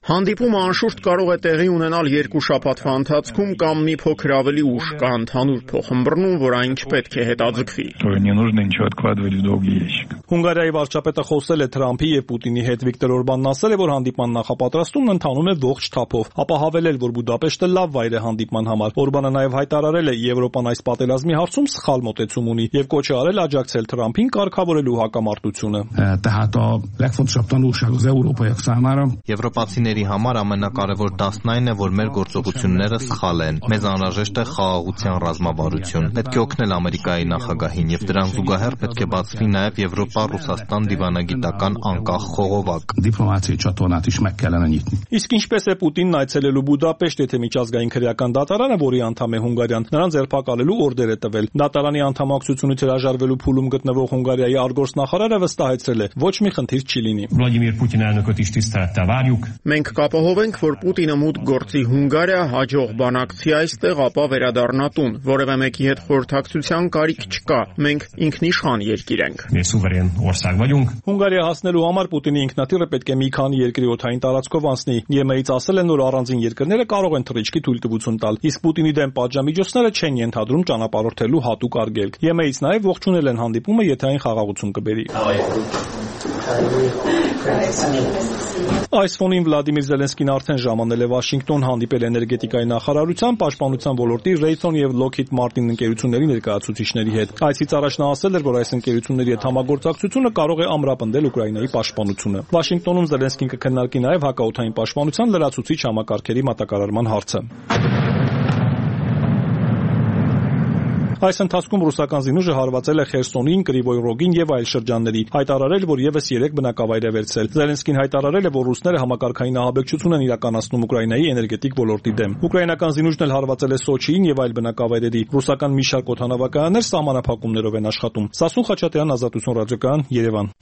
Հանդիպումը անշուշտ կարող է տեղի ունենալ երկու շաբաթվա ընթացքում կամ մի փոքր ավելի ուշ, կա ընդհանուր փոխըմբռնում, որ այն չպետք է հետաձգվի։ Հունգարիայի վարչապետը խոսել է Թրամփի եւ Պուտինի հետ։ Վիկտոր Օրբանն ասել է, որ հանդիպման նախապատրաստումն ընթանում է ողջ թափով, ապա հավելել, որ Բուդապեշտը լավ վայր է հանդիպման համար։ Օրբանը նաև հայտարարել է, Եվրոպան այս պատերազմի հարցում սխալ մոտեցում ունի եւ կոչ է արել աջակցել Թրամփին կարգավորելու հակամարտությունը։ Եվրոպացիների համար ամենակարևոր դասն այն է, որ մեր գործողությունները սխալ են։ Մեզ անհրաժեշտ է խաղաղության ռազմավարություն։ Պետք է օգնել Ամերիկայի նախագահին եւ դրան զուգահեռ պետք է բացվի նաև Եվրոպա-Ռուսաստան դիվանագիտական անկախ խողովակ։ Իսկ ինչպես է Պուտինն այցելելու Բուդապեշտ, եթե միջազգային քրեական դատարանը, որի անդամ է Հունգարիան, նրան ձերբակալելու օրդեր է տվել։ Դատարանի անդամակցությունից հրաժարվելու փուլում գտնվող Հունգարիայի արտգործնախարարը վստահեցրել է, ոչ մի խնդիր չի լինի։ Մենք կապահով ենք, որ Պուտինը մուտք գործի Հունգարիա, հաջող բանակցի այստեղ, ապա վերադառնա տուն։ Որևէ մեկի հետ խորհրդակցության կարիք չկա։ Մենք ինքնիշխան երկիր ենք։ Հունգարիա հասնելու համար Պուտինի ինքնաթիռը պետք է մի քանի երկրի օդային տարածքով անցնի։ ԵՄ-ից ասել են, որ առանձին երկրները կարող են թռիչքի թույլտվություն տալ, իսկ Պուտինի դեմ պատժամիջոցները չեն ենթադրում ճանապարհորդելու հատուկ արգելք։ ԵՄ-ից նաև ողջունել են հանդիպումը, եթե այն խաղաղություն կբերի։ Այս ֆոնին Վլադիմիր Զելենսկին արդեն ժամանել է Վաշինգտոն, հանդիպել էներգետիկայի նախարարության, պաշտպանության ոլորտի Raytheon եւ Lockheed Martin ընկերությունների ներկայացուցիչների հետ։ Այսից առաջ նա ասել էր, որ այս ընկերությունների հետ համագործակցությունը կարող է ամրապնդել Ուկրաինայի պաշտպանությունը։ Վաշինգտոնում Զելենսկին կքննարկի նաև հակաօդային պաշտպանության լրացուցիչ համակարգերի մատակարարման հարցը։ Այս ընթացքում ռուսական զինուժը հարվածել է Խերսոնին, Կրիվոյ Ռոգին եւ այլ շրջանների, հայտարարել, որ եւս երեք բնակավայր է վերցրել։ Զելենսկին հայտարարել է, որ ռուսները համակարգային ահաբեկչություն են իրականացնում Ուկրաինայի էներգետիկ ոլորտի դեմ։ Ուկրաինական զինուժն էլ հարվածել է Սոչիին եւ այլ բնակավայրերի։ Ռուսական մի շարք օդանավակայաններ սահմանափակումներով են աշխատում։ Սասուն Խաչատրյան, Ազատություն ռադիոկայան, Երևան։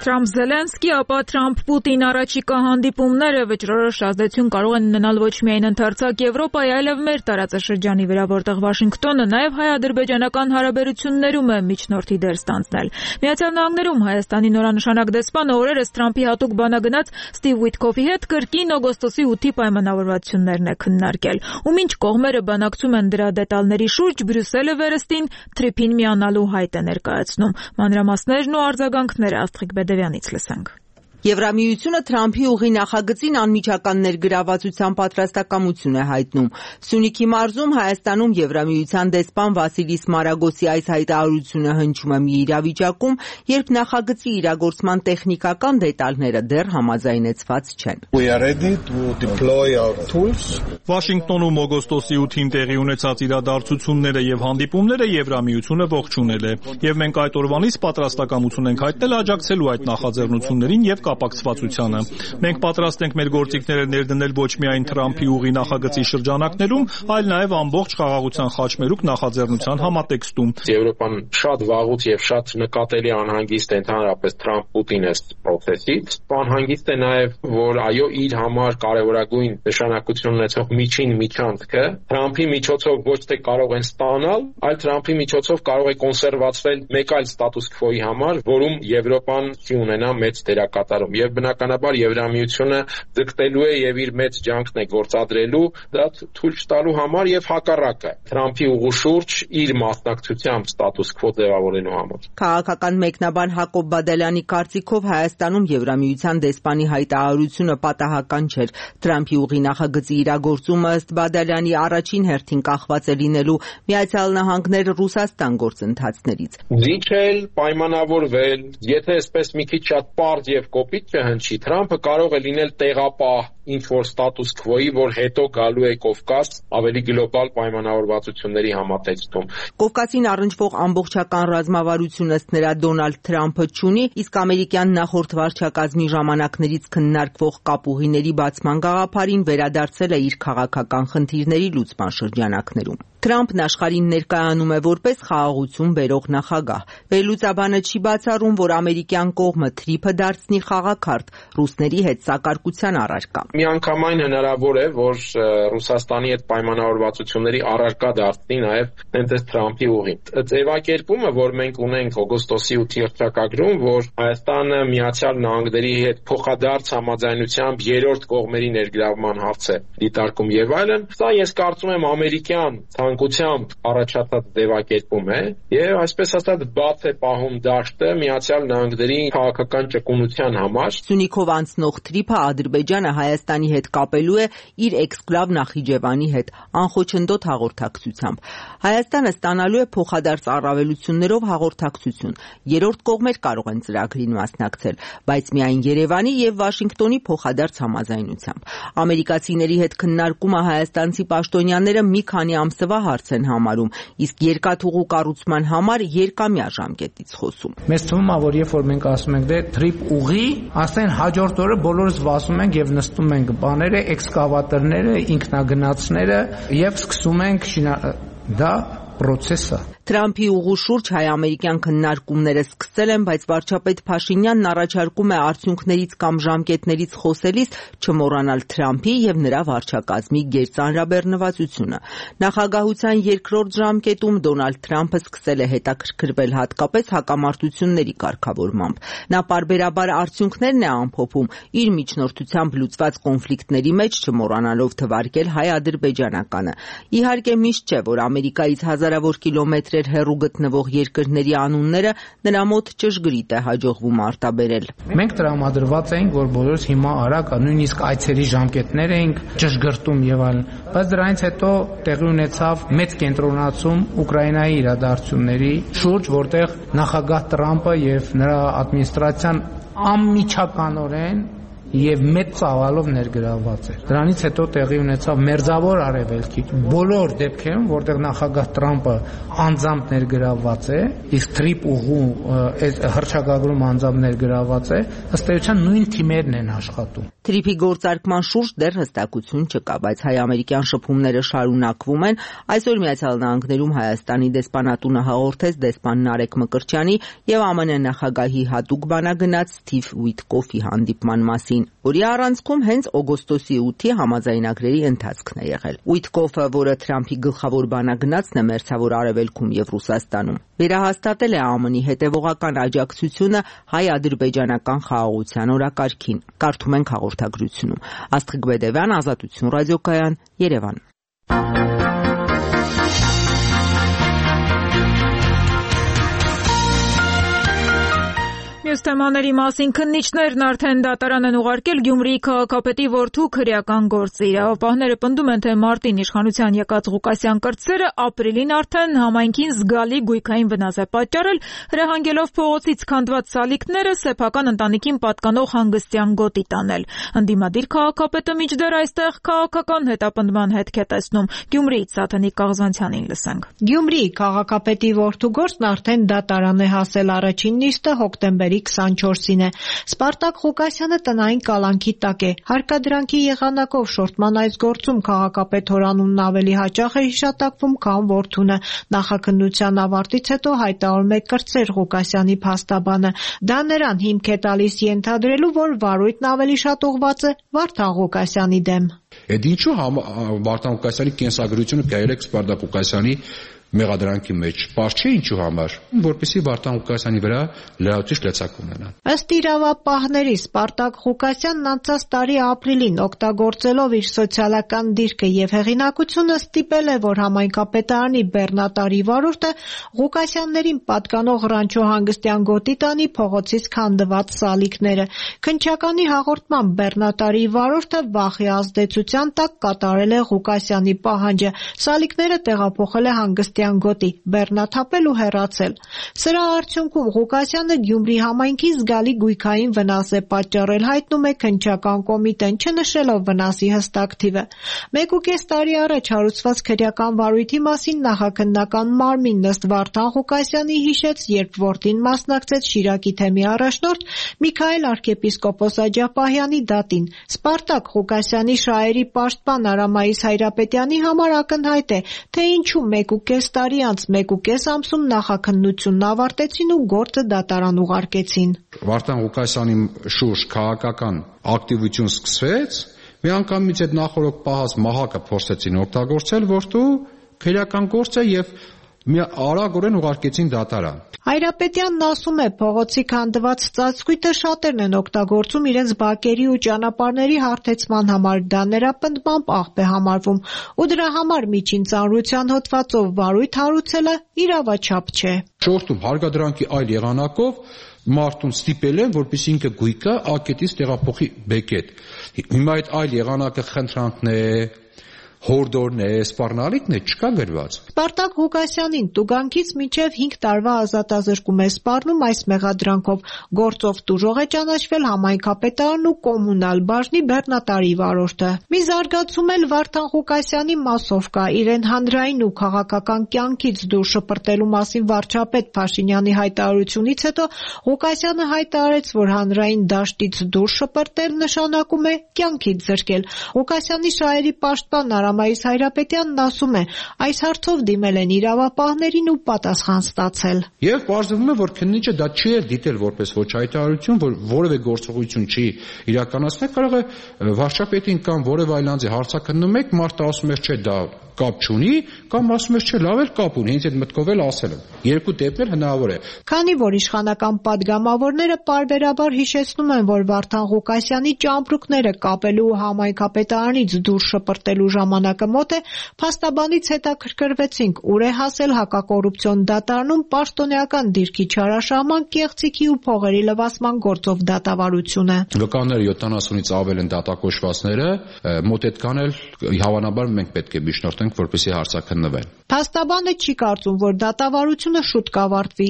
Թրամփ-Զելենսկի, ապա Թրամփ-Պուտին առաջիկա հանդիպումները վճռորոշ ազդեցություն կարող են ունենալ ոչ միայն ընդարձակ Եվրոպայի, այլև մեր տարածաշրջանի վրա, որտեղ Վաշինգտոնը նաև հայ-ադրբեջանական հարաբերություններում է միջնորդի դեր ստանձնել։ Միացյալ Նահանգներում Հայաստանի նորանշանակ դեսպանը օրերս Թրամփի հատուկ բանագնաց Ստիվ Ուիթքոֆի հետ կրկին օգոստոսի ութի պայմանավորվածություններն է քննարկել։ Ու մինչ կողմերը բանակցում են դրա դետալների շուրջ, Բրյուսելը վերստին թրիփին միանալու հայտ է ներկայացնում։ Մանրամասներն ու արձագանքները Աստղիկ Բեդևյանից լսենք։ Եվրամիությունը Թրամփի ուղի նախագծին անմիջական ներգրավվածության պատրաստակամություն է հայտնում։ Սյունիքի մարզում Հայաստանում Եվրամիության դեսպան Վասիլիս Մարագոսի այս հայտարարությունը հնչում է մի իրավիճակում, երբ նախագծի իրագործման տեխնիկական դետալները դեռ համաձայնեցված չեն։ Վաշինգտոնում օգոստոսի ութին տեղի ունեցած իրադարձությունները եւ հանդիպումները Եվրամիությունը ողջունել է, եւ մենք այդ օրվանից պատրաստակամություն ենք հայտնել աջակցելու այդ նախաձեռնություններին եւ կապակցվածությանը։ Մենք պատրաստ ենք մեր գործիքները ներդնել ոչ միայն Թրամփի ուղի նախագծի շրջանակներում, այլ նաեւ ամբողջ խաղաղության խաչմերուկ նախաձեռնության համատեքստում։ Եվրոպան շատ վաղուց եւ շատ նկատելի անհանգիստ է ընդհանրապես Թրամփ-Պուտին այս process-ից։ Անհանգիստ է նաեւ, որ այո, իր համար կարևորագույն նշանակություն ունեցող միջին միջանցքը Թրամփի միջոցով ոչ թե կարող են ստանալ, այլ Թրամփի միջոցով կարող է կոնսերվացվել մեկ այլ ստատուս քվոյի համար, որում Եվրոպան չի ունենա մեծ դերակատարում։ Եվ բնականաբար Եվրամիությունը ձգտելու է եւ իր մեծ ջանքն է գործադրելու դա թույլ չտալու համար եւ հակառակը Թրամփի ուղու շուրջ իր մասնակցությամբ ստատուս քվո ձևավորելու համար։ Քաղաքական մեկնաբան Հակոբ Բադալյանի կարծիքով Հայաստանում Եվրամիության դեսպանի հայտարարությունը պատահական չէր։ Թրամփի ուղի նախագծի իրագործումը ըստ Բադալյանի առաջին հերթին կախված է լինելու Միացյալ Նահանգներ Ռուսաստան գործընթացներից։ Զիջել, պայմանավորվել, եթե այսպես մի քիչ շատ պարզ եւ կոպիտ չհնչի, Թրամփը կարող է լինել տեղապահ ինչ-որ ստատուս քվոյի, որ հետո գալու է Կովկաս ավելի գլոբալ պայմանավորվածությունների համատեքստում։ Կովկասին առնչվող ամբողջական ռազմավարություն ըստ նրա Դոնալդ Թրամփը չունի, իսկ ամերիկյան նախորդ վարչակազմի ժամանակներից քննարկվող կապուղիների բացման գաղափարին վերադարձել է իր քաղաքական խնդիրների լուծման շրջանակներում։ Թրամփն աշխարհին ներկայանում է որպես խաղաղություն բերող նախագահ։ Վերլուծաբանը չի բացառում, որ ամերիկյան կողմը թրիփը դարձնի խաղաքարտ ռուսների հետ սակարկության առարկա։ Միանգամայն հնարավոր է, որ Ռուսաստանի հետ պայմանավորվածությունների առարկա դարձնի նաև հենց Թրամփի ուղին։ Ձևակերպումը, որ մենք ունենք օգոստոսի ութի հռչակագրում, որ Հայաստանը Միացյալ Նահանգների հետ փոխադարձ համաձայնությամբ երրորդ կողմերի ներգրավման հարց է դիտարկում եւ այլն, սա ես կարծում եմ ամերիկյան ցանկությամբ առաջացած ձևակերպում է եւ այսպես ասած բաց է պահում դաշտը Միացյալ Նահանգների քաղաքական ճկունության համար։ Սյունիքով անցնող թրիփը Ադրբեջանը Հայաստանի հետ կապելու է իր էքսկլավ Նախիջևանի հետ անխոչնդոտ հաղորդակցությամբ։ Հայաստանը ստանալու է փոխադարձ առավելություններով հաղորդակցություն։ Երրորդ կողմեր կարող են ծրագրին մասնակցել, բայց միայն Երևանի եւ Վաշինգտոնի փոխադարձ համաձայնությամբ։ Ամերիկացիների հետ քննարկումը հայաստանցի պաշտոնյաները մի քանի ամսվա հարց են համարում, իսկ երկաթուղու կառուցման համար երկամյա ժամկետից խոսում։ Մեզ թվում է, որ երբ որ մենք ասում ենք դե թրիփ ուղի, ասեն հաջորդ օրը բոլորս վասում ենք եւ նստում ենք բաները, էքսկավատորները, ինքնագնացները եւ սկսում ենք դա process-ը։ Թրամփի ուղու շուրջ հայ-ամերիկյան քննարկումները սկսել են, բայց վարչապետ Փաշինյանն առաջարկում է արդյունքներից կամ ժամկետներից խոսելիս չմոռանալ Թրամփի եւ նրա վարչակազմի գերծանրաբեռնվածությունը։ Նախագահության երկրորդ ժամկետում Դոնալդ Թրամփը սկսել է հետաքրքրվել հատկապես հակամարտությունների կարգավորմամբ։ Նա պարբերաբար արդյունքներն է ամփոփում իր միջնորդությամբ լուծված կոնֆլիկտների մեջ, չմոռանալով թվարկել հայ-ադրբեջանականը։ Իհարկե միշտ չէ, որ Ամերիկայից հազարավոր կիլոմետրեր հեռու գտնվող երկրների անունները նրա մոտ ճշգրիտ է հաջողվում արտաբերել։ Մենք տրամադրված էինք, որ բոլորս հիմա արագ, նույնիսկ այցերի ժամկետներ էինք ճշգրտում եւ այլն, բայց դրանից հետո տեղի ունեցավ մեծ կենտրոնացում Ուկրաինայի իրադարձությունների շուրջ, որտեղ նախագահ Տրամփը եւ նրա ադմինիստրացիան անմիջականորեն եւ մեծ ծավալով ներգրավված էր։ Դրանից հետո տեղի ունեցավ Մերձավոր Արևելքի բոլոր դեպքերում, որտեղ նախագահ Տրամփը անձամբ ներգրավված է, իսկ թրիփ ուղու այս հռչակագրում անձամբ ներգրավված է, ըստ էության նույն թիմերն են աշխատում։ Թրիփի գործարկման շուրջ դեռ հստակություն չկա, բայց հայ-ամերիկյան շփումները շարունակվում են։ Այսօր Միացյալ Նահանգներում Հայաստանի դեսպանատունը հաղորդեց դեսպան Նարեկ Մկրտչյանի եւ ԱՄՆ նախագահի հատուկ բանագնաց Սթիվ Ուիթկոֆի հանդիպման մասին, որի առանցքում հենց օգոստոսի ութի համաձայնագրերի ընթացքն է եղել։ Ուիթկոֆը, որը Թրամփի գլխավոր բանագնացն է Մերձավոր Արևելքում եւ Ռուսաստանում, վերահաստատել է ԱՄՆ-ի հետևողական աջակցությունը հայ-ադրբեջանական խաղաղության օրակարգին։ Կարդում ենք հաղորդագրությունում։ Աստղիկ Բեդևյան, Ազատություն ռադիոկայան, Երևան։ Մյուս մյուս թեմաների մասին քննիչներն արդեն դատարան են ուղարկել Գյումրիի քաղաքապետի որդու քրեական գործը։ Իրավապահները պնդում են, թե մարտին իշխանության եկած Ղուկասյան կրտսերը ապրիլին արդեն համայնքին զգալի գույքային վնաս է պատճառել, հրահանգելով փողոցից քանդված սալիկները սեփական ընտանիքին պատկանող հանգստյան գոտի տանել։ Ընդդիմադիր քաղաքապետը մինչդեռ այստեղ քաղաքական հետապնդման հետք է տեսնում։ Գյումրիից Սաթենիկ Կաղզանցյանին լսենք։ Գյումրիի քաղաքապետի որդու գործն արդեն դատարան է հասել, առաջին նիստը հոկտեմբերի քսանչորսին է։ Սպարտակ Ղուկասյանը տնային կալանքի տակ է։ Հարկադրանքի եղանակով շորտման այս գործում քաղաքապետ հորանունն ավելի հաճախ է հիշատակվում, քան որդունը։ Նախաքննության ավարտից հետո հայտարարում է կրտսեր Ղուկասյանի փաստաբանը։ Դա նրան հիմք է տալիս ենթադրելու, որ վարույթն ավելի շատ ուղղված է Վարդան Ղուկասյանի դեմ։ Այդ ինչու Վարդան Ղուկասյանի կենսագրությունը գայել է Սպարտակ Ղուկասյանի մեղադրանքի մեջ, պարզ չէ ինչու համար, որպեսզի Վարդան Ղուկասյանի վրա լրացուցիչ լեցակ ունենան։ Ըստ իրավապահների Սպարտակ Ղուկասյանն անցած տարի ապրիլին օգտագործելով իր սոցիալական դիրքը եւ հեղինակությունը ստիպել է, որ համայնքապետարանի բեռնատարի վարորդը Ղուկասյաններին պատկանող Ռանչո հանգստյան գոտի տանի փողոցից քանդված սալիկները։ Քննչականի հաղորդմամբ բեռնատարի վարորդը վախի ազդեցության տակ կատարել է Ղուկասյանի պահանջը։ Սալիկները տեղափոխել է հանգստյան գոտի, բեռնաթափել ու հեռացել։ Սրա արդյունքում Ղուկասյանը Գյումրի համայնքին զգալի գույքային վնաս է պատճառել, հայտնում է քննչական կոմիտեն, չնշելով վնասի հստակ թիվը։ Մեկուկես տարի առաջ հարուցված քրեական վարույթի մասին նախաքննական մարմինն ըստ Վարդան Ղուկասյանի հիշեց, երբ որդին մասնակցեց Շիրակի թեմի առաջնորդ Միքայել arczepiskopos Աջապահյանի դատին։ Սպարտակ Ղուկասյանի շահերի պաշտպան Արամայիս Հայրապետյանի համար ակնհայտ է, թե ինչու մեկուկես տարի անց մեկուկես ամսում նախաքննությունն ավարտեցին ու գործը դատարան ուղարկեցին։ Վարդան Ղուկասյանի շուրջ քաղաքական ակտիվություն սկսվեց, միանգամից այդ նախորդ պահած մահակը փորձեցին օգտագործել որդու քրեական գործը եւ մի արագորեն ուղարկեցին դատարան։ Հայրապետյանն ասում է, փողոցի քանդված ծածկույթը շատերն են օգտագործում իրենց բակերի ու ճանապարհների հարթեցման համար, դա նրա պնդմամբ աղբ է համարվում, ու դրա համար միջին ծանրության հոդվածով վարույթ հարուցելը իրավաչափ չէ։ Շորտում հարկադրանքի այլ եղանակով մարդուն ստիպել են, որպեսզի ինքը գույքը ակետից տեղափոխի բեկետ։ Հիմա այդ այլ եղանակը խնդրանքն է, հորդորն է, սպառնալիքն է, չկա գրված։ Սպարտակ Ղուկասյանին տուգանքից մինչև հինգ տարվա ազատազրկում է սպառնում այս մեղադրանքով։ Գործով տուժող է ճանաչվել համայնքապետարանն ու կոմունալ բաժնի բեռնատարի վարորդը։ Մի զարգացում էլ Վարդան Ղուկասյանի մասով կա։ Իրեն հանրային ու քաղաքական կյանքից դուրս շպրտելու մասին վարչապետ Փաշինյանի հայտարարությունից հետո Ղուկասյանը հայտարարեց, որ հանրային դաշտից դուրս շպրտել նշանակում է կյանքից զրկել։ Ղուկասյանի շահերի պաշտպան Արամայիս Հայրապետյանն ասում է, այս հարցով դիմել են իրավապահներին ու պատասխան ստացել։ Եվ պարզվում է, որ քննիչը դա չի դիտել որպես ոչ հայտարարություն, որ որևէ գործողություն չի իրականացնել, կարող է վարչապետին կամ որևէ այլ անձի հարցաքննում եք, մարդը ասում է, չէ, դա կապ չունի, կամ ասում է, չէ, լավ էլ կապ ունի, հենց այդ մտքով էլ ասել եմ։ Երկու դեպքն էլ հնարավոր է։ Քանի որ իշխանական падգամավորները պարբերաբար հիշեցնում են, որ Վարդան Ղուկասյանի ճամպրուկները կապելու ու համայնքապետարանից դուրս շպրտելու ժամանակը մոտ է, փաստաբանից հետաքրքրվեցինք, ուր է հասել հակակոռուպցիոն դատարանում պաշտոնեական դիրքի չարաշահման, կեղծիքի ու փողերի լվացման գործով դատավարությունը։ Վկաները յոթանասունից ավել են դատակոչվածները, մոտ այդքան էլ հավանաբար մենք պետք է միջնորդենք, որպեսզի հարցաքննվեն։ Փաստաբանը չի կարծում, որ դատավարությունը շուտ կավարտվի։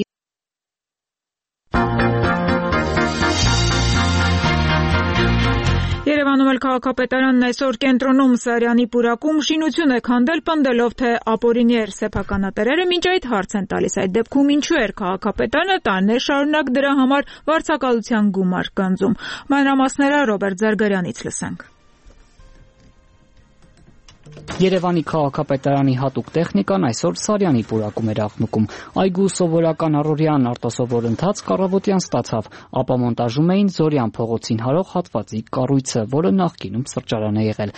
Երևանում էլ քաղաքապետարանն այսօր կենտրոնում Սարյանի պուրակում շինություն է քանդել, պնդելով, թե ապօրինի էր սեփականատերերը մինչ այդ հարց են տալիս։ Այդ դեպքում ինչու էր քաղաքապետարանը տարիներ շարունակ դրա համար վարձակալության գումար գանձում։ Մանրամասները Ռոբերտ Զարգարյանից լսենք։ Երևանի քաղաքապետարանի հատուկ տեխնիկան այսօր Սարյանի պուրակում էր աղմկում։ Այգու սովորական առօրյան արտասովոր ընթացք առավոտյան ստացավ, ապա մոնտաժում էին Զորյան փողոցին հարող հատվածի կառույցը, որը նախկինում սրճարան է եղել։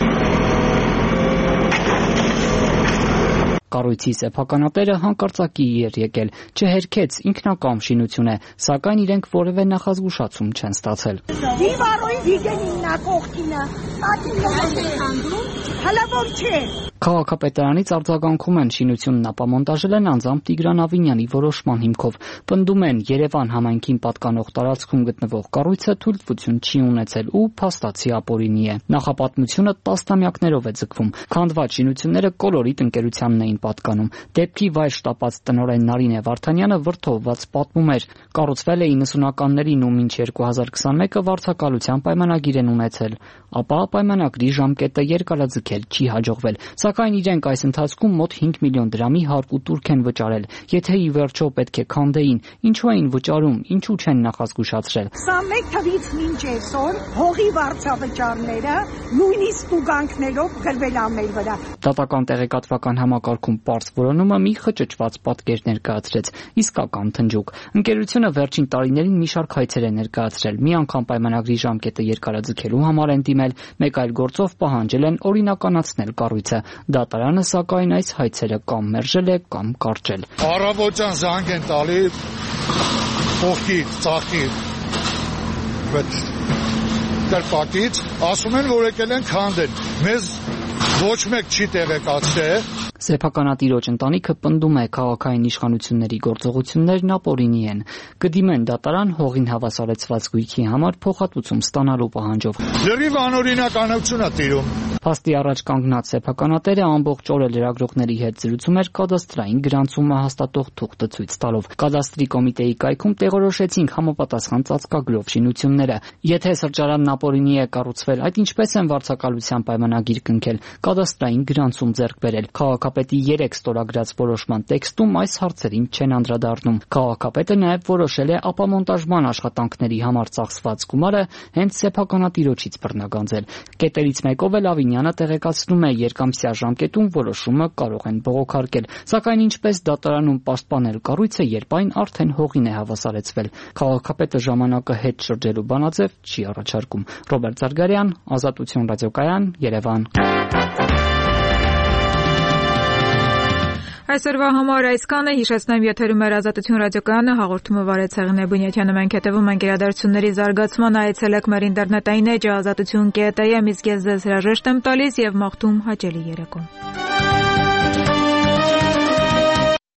Կառույցի սեփականատերը հանկարծակի էր եկել, չհերքեց, ինքնակամ շինություն է, սակայն իրենք որևէ նախազգուշացում չեն ստացել։ Քաղաքապետարանից արձագանքում են շինությունն ապամոնտաժել են անձամբ Տիգրան Ավինյանի որոշման հիմքով։ Պնդում են Երևան համայնքին պատկանող տարածքում գտնվող կառույցը թույլտվություն չի ունեցել ու փաստացի ապօրինի է։ Նախապատմությունը տասնամյակներով է ձգվում։ Քանդված շինությունները կոլորիտ ընկերությանն էին պատկանում։ Դեպքի վայր շտապած տնօրեն Նարինե Վարդանյանը վրդովված պատմում էր. կառուցվել է իննսունականներին ու մինչ երկու հազար քսանմեկը վարձակալության պայմանագիր են ունեցել, ապա պայմանագրի ժամկետը երկարաձգել չի հաջողվել, սակայն իրենք այս ընթացքում մոտ հինգ միլիոն դրամի հարկ ու տուրք են վճարել։ Եթե ի վերջո պետք է քանդեին, ինչու էին վճարում, ինչու չեն նախազգուշացրել։ քսանմեկ թվից մինչ այսօր հողի վարձավճարները նույնիսկ տուգանքներով գրվել ա մեր վրա։ Դատական տեղեկատվական համակարգում պարզ որոնումը մի խճճված պատկեր ներկայացրեց, իսկական թնջուկ։ Ընկերությունը վերջին տարիներին մի շարք հայցեր է ներկայացրել, մի անգամ պայմանագրի ժամկետը երկարաձգելու համար են դիմել, մեկ այլ գործով պահանջել են օրինականացնել կառույցը։ Դատարանը սակայն այս հայցերը կամ մերժել է, կամ կարճել։ Առավոտյան զանգ են տալի փոխի, ծախի կրպակից, ասում են, որ եկել են քանդել։ Մեզ ոչ մեկ չի տեղեկացրել։ Սեփականատիրոջ ընտանիքը պնդում է քաղաքային իշխանությունների գործողություններն ապօրինի են։ Կդիմեն դատարան հողին հավասարեցված գույքի համար փոխհատուցում ստանալու պահանջով։ Լրիվ անօրինականություն է տիրում։ Փաստի առաջ կանգնած սեփականատերը ամբողջ օրը լրագրողների հետ զրուցում էր կադաստրային գրանցումը հաստատող թուղթը ցույց տալով։ Կադաստրի կոմիտեի կայքում տեղորոշեցինք համապատասխան ծածկագրով շինությունները։ Եթե սրճարանն ապօրինի է կառուցվել, այդ ինչպես են վարձակալության պայմանագիր կնքել, կադաստրային գրանցում ձեռք բերել։ Քաղաքապետի երեք ստորագրած որոշման տեքստում այս հարցերին չեն անդրադառնում։ Քաղաքապետը նաև որոշել է ապամոնտաժման աշխատանքների համար ծախսված գումարը հենց սեփականատիրոջից բռնագանձել։ Կետերից մեկով էլ Ավինյանը տեղեկացնում է երկամսյա ժամկետում որոշումը կարող են բողոքարկել, սակայն ինչպես դատարանում պաշտպանել կառույցը, երբ այն արդեն հողին է հավասարեցվել։ Քաղաքապետը ժամանակը հետ շրջելու բանաձև չի առաջարկում։ Ռոբերտ Զարգարյան, Ազատություն ռադիոկայան, Երևան։ Այսօրվա համար այսքանը, հիշեցնեմ եթերում էր Ազատություն ռադիոկայանը, հաղորդումը վարեց Հեղինե Բունյաթյանը, մենք հետևում ենք իրադարձությունների զարգացմանը, այցելեք մեր ինտերնետային էջը ազատություն կետ էի, իսկ ես ձեզ հրաժեշտ եմ տալիս եւ մաղթում հաճելի երեկո։